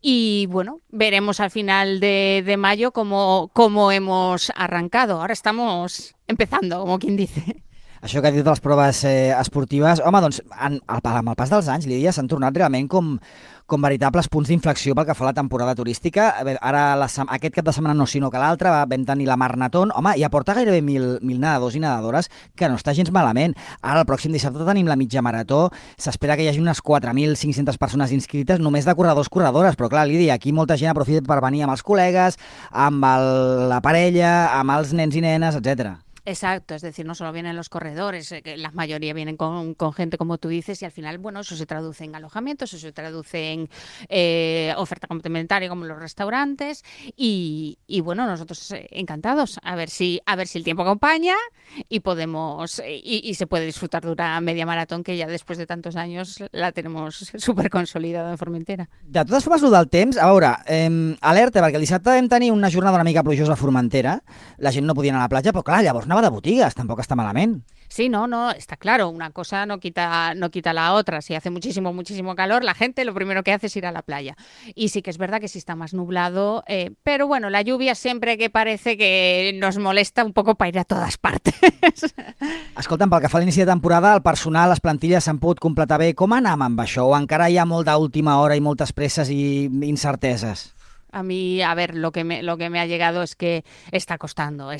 Y bueno, veremos al final de mayo cómo hemos arrancado. Ahora estamos empezando, como quien dice. Això que ha dit de les proves esportives, home, doncs, amb el pas dels anys, Lídia, s'han tornat realment com veritables punts d'inflexió pel que fa a la temporada turística. Ara, aquest cap de setmana no, sinó que l'altre, vam tenir la Marnatón, home, i aporta gairebé 1.000 nedadors i nedadores, que no està gens malament. Ara, el pròxim dissabte tenim la mitja marató, s'espera que hi hagi unes 4.500 persones inscrites, només de corredors-corredores, però clar, Lídia, aquí molta gent aprofita per venir amb els col·legues, amb la parella, amb els nens i nenes, etcètera. Exacto, es decir, no solo vienen los corredores, que la mayoría vienen con gente, como tú dices, y al final, bueno, eso se traduce en alojamientos, eso se traduce en oferta complementaria como los restaurantes y bueno, nosotros encantados a ver si el tiempo acompaña y podemos y se puede disfrutar de una media maratón que ya después de tantos años la tenemos súper consolidada en Formentera. De totes formes, el del temps, a veure, alerta, perquè el dissabte vam tenir una jornada una mica plujosa a Formentera, la gent no podia anar a la platja, però clar, llavors anava de botigues, tampoc està malament. Sí, no, está claro, una cosa no quita la otra. Si hace muchísimo calor, la gente lo primero que hace es ir a la playa. Y sí que es verdad que sí está más nublado, pero bueno, la lluvia siempre que parece que nos molesta un poco para ir a todas partes. Escolta'm, pel que fa a l'inici de temporada, el personal, les plantilles s'han pogut completar bé. Com anam amb això? O encara hi ha molt d'última hora i moltes presses i incerteses? A mí, a ver, lo que me ha llegado es que está costando.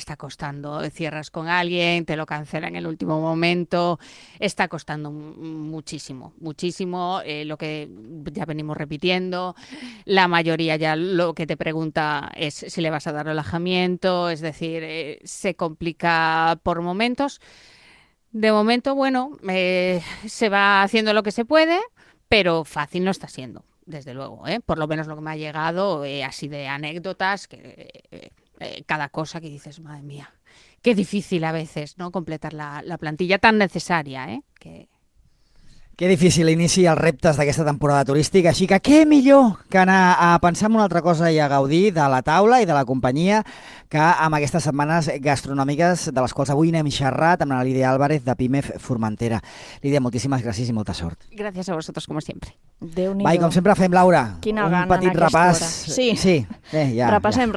Cierras con alguien, te lo cancela en el último momento. Está costando muchísimo. Lo que ya venimos repitiendo. La mayoría ya lo que te pregunta es si le vas a dar alojamiento. Es decir, se complica por momentos. De momento, bueno, se va haciendo lo que se puede, pero fácil no está siendo. Desde luego, por lo menos lo que me ha llegado, así de anécdotas, que cada cosa que dices, madre mía, qué difícil a veces, ¿no? Completar la plantilla tan necesaria, Que difícil inici els reptes d'aquesta temporada turística, així que què millor que anar a pensar en una altra cosa i a gaudir de la taula i de la companyia que amb aquestes setmanes gastronòmiques de les quals avui n'hem xerrat amb la Lídia Álvarez de Pimef Formentera. Lídia, moltíssimes gràcies i molta sort. Gràcies a vosotros, como siempre. Déu-n'hi-do. Va, i com sempre fem, Laura, quina un gana petit en aquesta repàs. hora. Sí. Ja. Repassem.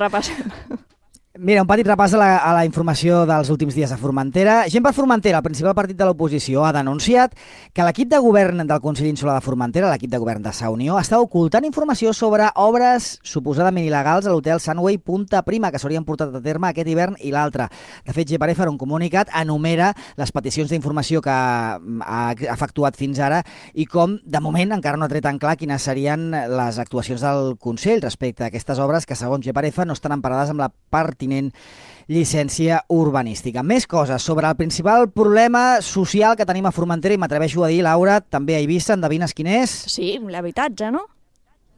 Mira, un petit repàs a la informació dels últims dies a Formentera. Gent per Formentera, el principal partit de l'oposició, ha denunciat que l'equip de govern del Consell Insular de Formentera, l'equip de govern de Sa Unió, està ocultant informació sobre obres suposadament il·legals a l'hotel Sunway Punta Prima, que s'haurien portat a terme aquest hivern i l'altre. De fet, GPRF, en un comunicat, enumera les peticions d'informació que ha efectuat fins ara i com, de moment, encara no ha tret en clar quines serien les actuacions del Consell respecte a aquestes obres que, segons GPRF, no estan emparades amb la pertinent llicència urbanística. Més coses sobre el principal problema social que tenim a Formentera i m'atreveixo a dir, Laura, també a Eivissa, endevines quin és? Sí, l'habitatge, no?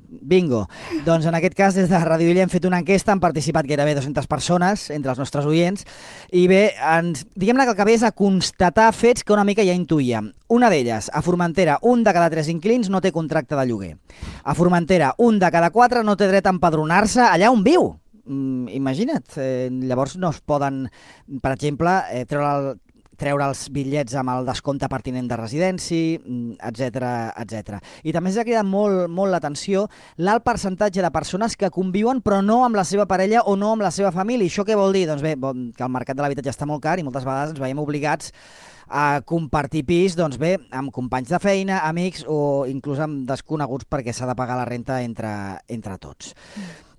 Bingo. Doncs en aquest cas des de Ràdio Illa hem fet una enquesta, han participat gairebé 200 persones entre els nostres oients i bé, diguem-ne que el que ve és a constatar fets que una mica ja intuïem. Una d'elles, a Formentera, 1 de cada 3 inquilins no té contracte de lloguer. A Formentera, 1 de cada 4 no té dret a empadronar-se allà on viu. Imagina't, llavors no es poden, per exemple, treure els bitllets amb el descompte pertinent de residència, etc. I també ens ha cridat molt l'atenció l'alt percentatge de persones que conviuen però no amb la seva parella o no amb la seva família. I això què vol dir? Doncs bé, que el mercat de l'habitatge està molt car i moltes vegades ens veiem obligats a compartir pis, doncs bé, amb companys de feina, amics o inclús amb desconeguts perquè s'ha de pagar la renta entre tots.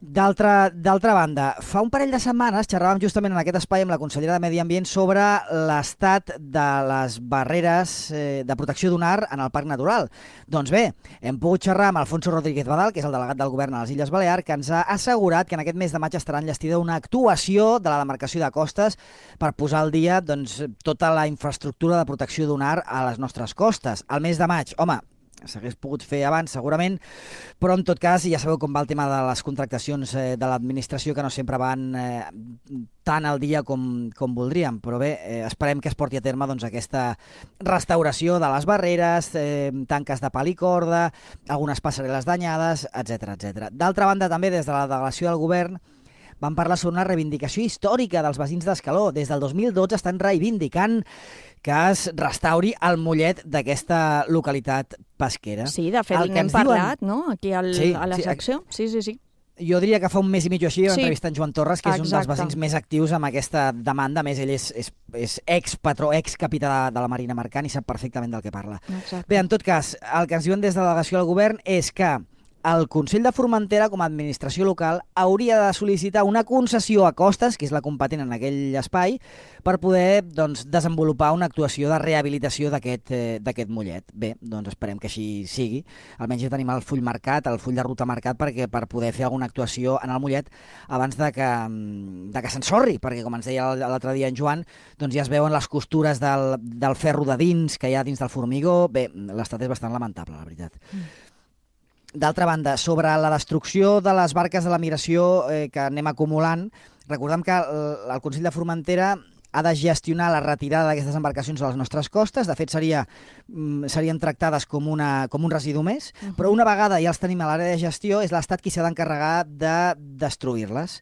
D'altra banda, fa un parell de setmanes xerràvem justament en aquest espai amb la consellera de Medi Ambient sobre l'estat de les barreres de protecció dunar en el Parc Natural. Doncs bé, hem pogut xerrar amb Alfonso Rodríguez Badal, que és el delegat del govern a les Illes Balears, que ens ha assegurat que en aquest mes de maig estarà enllestida una actuació de la demarcació de costes per posar al dia tota la infraestructura de protecció dunar a les nostres costes. Al mes de maig, home, s'hagués pogut fer abans segurament, però en tot cas ja sabeu com va el tema de les contractacions de l'administració, que no sempre van tan al dia com voldríem, però bé, esperem que es porti a terme aquesta restauració de les barreres, tanques de pal i corda, algunes passarel·les danyades, etc. D'altra banda, també des de la delegació del govern van parlar sobre una reivindicació històrica dels veïns d'Escaló. Des del 2012 estan reivindicant que es restauri el mollet d'aquesta localitat pesquera. Sí, de fet, n'hem parlat, no?, aquí a la secció. Sí. Jo diria que fa un mes i mig o així vam entrevistar en Joan Torres, que és un dels veïns més actius amb aquesta demanda. A més, ell és ex-patró, ex-capità de la Marina Mercant i sap perfectament del que parla. Exacte. Bé, en tot cas, el que ens diuen des de la delegació del govern és que el Consell de Formentera, com a administració local, hauria de sol·licitar una concessió a Costes, que és la competent en aquell espai, per poder desenvolupar una actuació de rehabilitació d'aquest mollet. Bé, doncs esperem que així sigui. Almenys ja tenim el full marcat, el full de ruta marcat per poder fer alguna actuació en el mollet abans de que s'ensorri, perquè com ens deia l'altre dia en Joan, doncs ja es veuen les costures del ferro de dins que hi ha dins del formigó. Bé, l'estat és bastant lamentable, la veritat. D'altra banda, sobre la destrucció de les barques de la migració que anem acumulant, recordem que el Consell de Formentera ha de gestionar la retirada d'aquestes embarcacions a les nostres costes. De fet, serien tractades com un residu més, però una vegada ja els tenim a l'àrea de gestió, és l'Estat qui s'ha d'encarregar de destruir-les.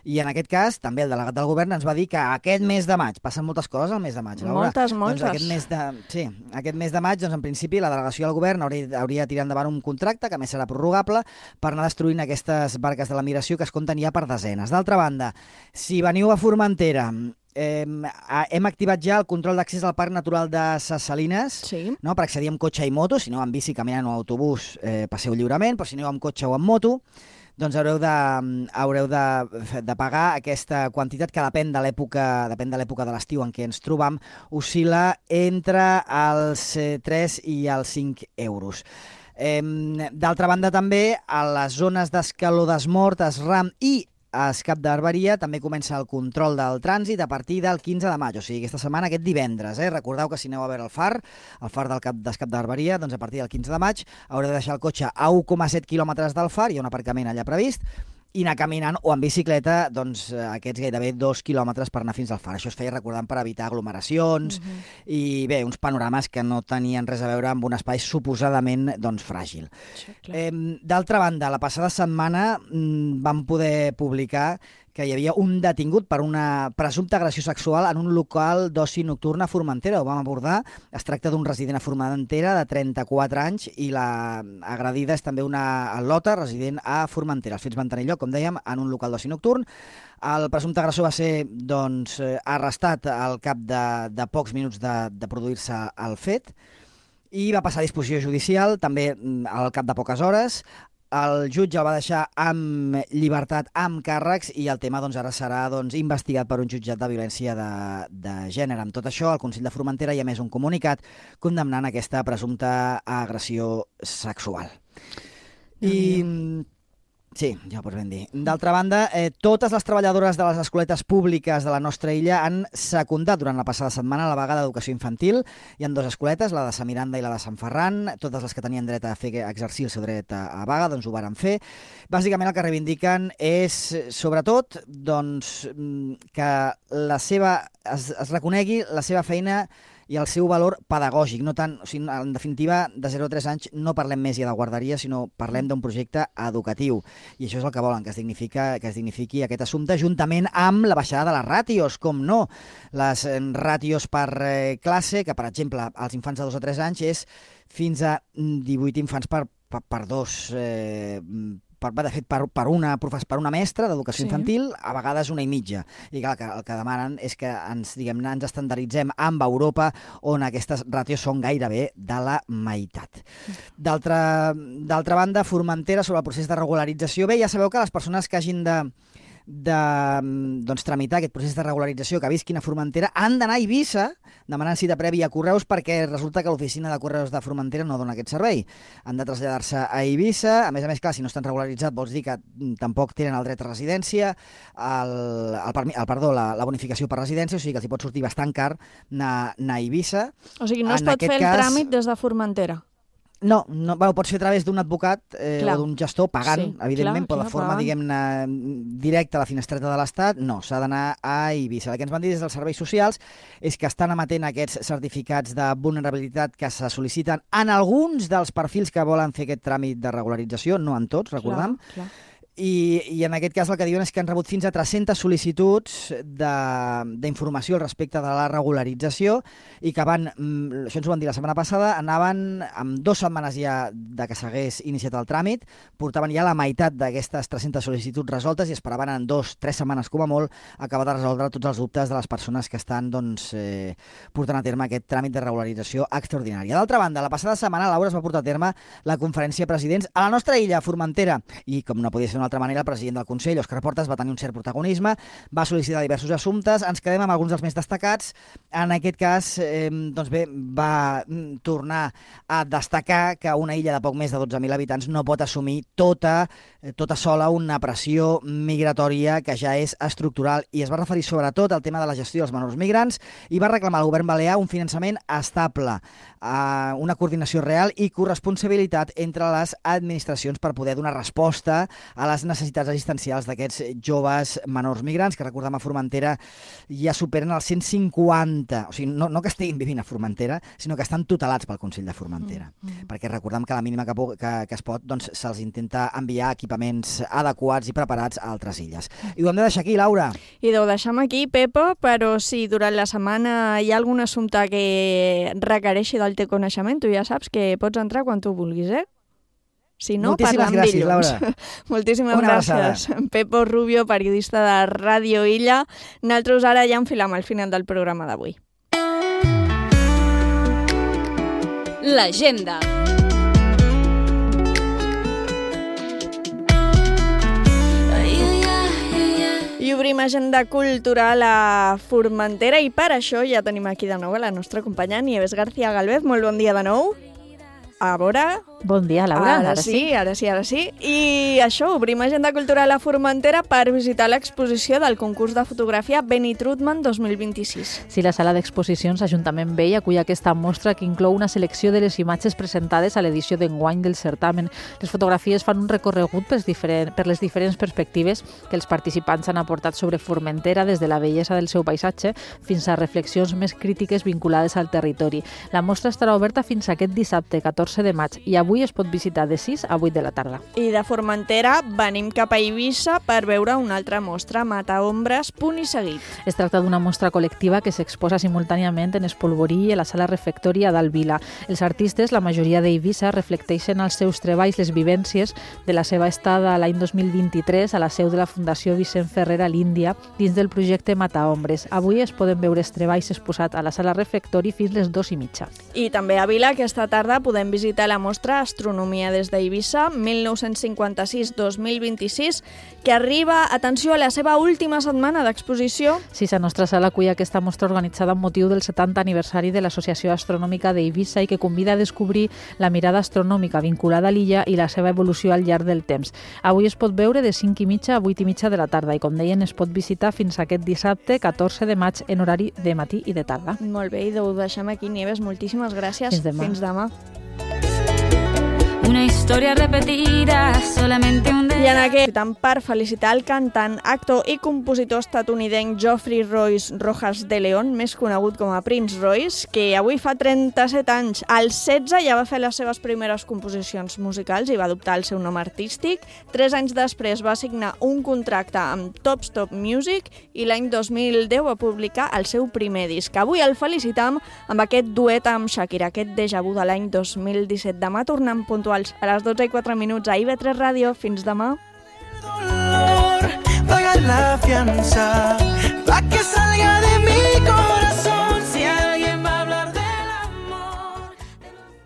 I en aquest cas, també el delegat del govern ens va dir que aquest mes de maig, passen moltes coses al mes de maig, Laura. Moltes. Doncs aquest mes de maig, doncs en principi, la delegació del govern hauria de tirar endavant un contracte, que a més serà prorrogable, per anar destruint aquestes barques de la migració que es compten ja per desenes. D'altra banda, si veniu a Formentera, hem activat ja el control d'accés al Parc Natural de Ses Salines, no? Per accedir amb cotxe i moto. Si no, amb bici, caminant o autobús, passeu lliurement, però si aneu amb cotxe o amb moto, doncs haureu de pagar aquesta quantitat que depèn de l'època de l'estiu en què ens trobam, oscil·la entre els 3 i els 5 euros. D'altra banda, també, a les zones d'Escaló d'Esmort, Esram i a Escap d'Arberia també comença el control del trànsit a partir del 15 de maig, o sigui, aquesta setmana, aquest divendres. Recordeu que si aneu a veure el far d'Escap d'Arberia, doncs a partir del 15 de maig haureu de deixar el cotxe a 1,7 quilòmetres del far, hi ha un aparcament allà previst, i anar caminant o en bicicleta doncs, aquests gairebé 2 quilòmetres per anar fins al far. Això es feia recordant per evitar aglomeracions i bé, uns panorames que no tenien res a veure amb un espai suposadament doncs, fràgil. D'altra banda, la passada setmana vam poder publicar que hi havia un detingut per una presumpta agressió sexual en un local d'oci nocturn a Formentera. Ho vam abordar. Es tracta d'un resident a Formentera de 34 anys i la agredida és també una al·lota resident a Formentera. Els fets van tenir lloc, com dèiem, en un local d'oci nocturn. El presumpte agressor va ser arrestat al cap de pocs minuts de produir-se el fet i va passar a disposició judicial també al cap de poques hores. El jutge el va deixar amb llibertat, amb càrrecs, i el tema ara serà investigat per un jutjat de violència de gènere. Amb tot això, el Consell de Formentera ja ha emès un comunicat condemnant aquesta presumpta agressió sexual. Sí, ja ho pots ben dir. D'altra banda, totes les treballadores de les escoletes públiques de la nostra illa han secundat durant la passada setmana la vaga d'educació infantil. Hi ha 2 escoletes, la de Sant Miranda i la de Sant Ferran. Totes les que tenien dret a exercir el seu dret a vaga, doncs ho varen fer. Bàsicament el que reivindiquen és, sobretot, que es reconegui la seva feina i el seu valor pedagògic. No tant, o sigui, en definitiva, de 0 a 3 anys no parlem més ja de guarderia, sinó parlem d'un projecte educatiu. I això és el que volen, que es dignifiqui aquest assumpte, juntament amb la baixada de les ràtios, com no. Les ràtios per classe, que per exemple als infants de 2 a 3 anys és fins a 18 infants per 2 per una mestra d'educació infantil, a vegades 1,5. I clar, el que demanen és que ens estandarditzem amb Europa, on aquestes ràtios són gairebé de la meitat. D'altra banda, Formentera, sobre el procés de regularització. Bé, ja sabeu que les persones que hagin de tramitar aquest procés de regularització, que visquin a Formentera, han d'anar a Eivissa demanant cita prèvia a Correus, perquè resulta que l'oficina de Correus de Formentera no dona aquest servei. Han de traslladar-se a Eivissa. A més, clar, si no estan regularitzats vols dir que tampoc tenen el dret a residència, la bonificació per residència, o sigui que els hi pot sortir bastant car anar a Eivissa. O sigui, no es pot fer el tràmit des de Formentera? No, pots fer a través d'un advocat o d'un gestor pagant, evidentment, però de forma, diguem-ne, directa a la finestreta de l'Estat, no, s'ha d'anar a Eivissa. El que ens van dir des dels serveis socials és que estan emetent aquests certificats de vulnerabilitat que se sol·liciten en alguns dels perfils que volen fer aquest tràmit de regularització, no en tots, recordem. I en aquest cas el que diuen és que han rebut fins a 300 sol·licituds d'informació al respecte de la regularització i que això ens ho van dir la setmana passada, anaven amb 2 setmanes ja de que s'hagués iniciat el tràmit, portaven ja la meitat d'aquestes 300 sol·licituds resoltes i esperaven en 2-3 setmanes com a molt acabar de resoldre tots els dubtes de les persones que estan portant a terme aquest tràmit de regularització extraordinària. D'altra banda, la passada setmana, Laura, es va portar a terme la conferència de presidents a la nostra illa, a Formentera, i com no podia ser d'una altra manera, el president del Consell, Òscar Portas, va tenir un cert protagonisme, va sol·licitar diversos assumptes, ens quedem amb alguns dels més destacats. En aquest cas, va tornar a destacar que una illa de poc més de 12.000 habitants no pot assumir tota sola una pressió migratòria que ja és estructural, i es va referir sobretot al tema de la gestió dels menors migrants i va reclamar al govern balear un finançament estable, una coordinació real i corresponsabilitat entre les administracions per poder donar resposta a les les necessitats assistencials d'aquests joves menors migrants, que recordem a Formentera ja superen els 150, o sigui, no que estiguin vivint a Formentera, sinó que estan tutelats pel Consell de Formentera. Perquè recordem que a la mínima que es pot, doncs se'ls intenta enviar equipaments adequats i preparats a altres illes. I ho hem de deixar aquí, Laura. I ho deixem aquí, Pepa, però si durant la setmana hi ha algun assumpte que requereixi del teu coneixement, tu ja saps que pots entrar quan tu vulguis, eh? Si no, moltíssimes gràcies, dilluns. Laura. Moltíssimes Una gràcies. Pepo Rubio, periodista de Ràdio Illa. Nosaltres ara ja enfilam al final del programa d'avui. L'agenda. I obrim agenda cultural a Formentera i per això ja tenim aquí de nou a la nostra companya Nieves García Galvez. Molt bon dia de nou. A veure... Bon dia, Laura. Ara sí. I això, obrim agenda cultural a Formentera per visitar l'exposició del concurs de fotografia Benny Trudman 2026. Sí, la sala d'exposicions Ajuntament Vell acull aquesta mostra que inclou una selecció de les imatges presentades a l'edició d'enguany del certamen. Les fotografies fan un recorregut per les diferents perspectives que els participants han aportat sobre Formentera, des de la bellesa del seu paisatge fins a reflexions més crítiques vinculades al territori. La mostra estarà oberta fins aquest dissabte, 14 de maig, i avui es pot visitar de 6 a 8 de la tarda. I de Formentera venim cap a Eivissa per veure una altra mostra, Mataombres, punt i seguit. Es tracta d'una mostra col·lectiva que s'exposa simultàniament en Espolvorí i a la sala refectori a Dalt Vila. Els artistes, la majoria d'Eivissa, reflecteixen als seus treballs les vivències de la seva estada l'any 2023 a la seu de la Fundació Vicent Ferrer a l'Índia dins del projecte Mataombres. Avui es poden veure els treballs exposats a la sala refectori fins les 2:30. I també a Vila aquesta tarda podem visitar la mostra Astronomia des d'Eivissa 1956-2026, que arriba, atenció, a la seva última setmana d'exposició. Sí, la nostra sala acull aquesta mostra organitzada amb motiu del 70 aniversari de l'Associació Astronòmica d'Eivissa i que convida a descobrir la mirada astronòmica vinculada a l'illa i la seva evolució al llarg del temps. Avui es pot veure de 5:30 a 8:30 de la tarda i, com deien, es pot visitar fins aquest dissabte, 14 de maig, en horari de matí i de tarda. Molt bé, i ho deixem aquí, Nieves. Moltíssimes gràcies. Fins demà. Fins demà. Una historia repetida, solamente un I en aquest per felicitar el cantant, actor i compositor estatunidenc Geoffrey Royce Rojas de León, més conegut com a Prince Royce, que avui fa 37 anys. Als 16 ja va fer les seves primeres composicions musicals i va adoptar el seu nom artístic. 3 anys després va signar un contracte amb Top Stop Music i l'any 2010 va publicar el seu primer disc. Avui el felicitam amb aquest duet amb Shakira, aquest déjà vu de l'any 2017. Demà tornem puntuals a les 12:04 a IB3 Ràdio. Fins demà. Paga la fianza.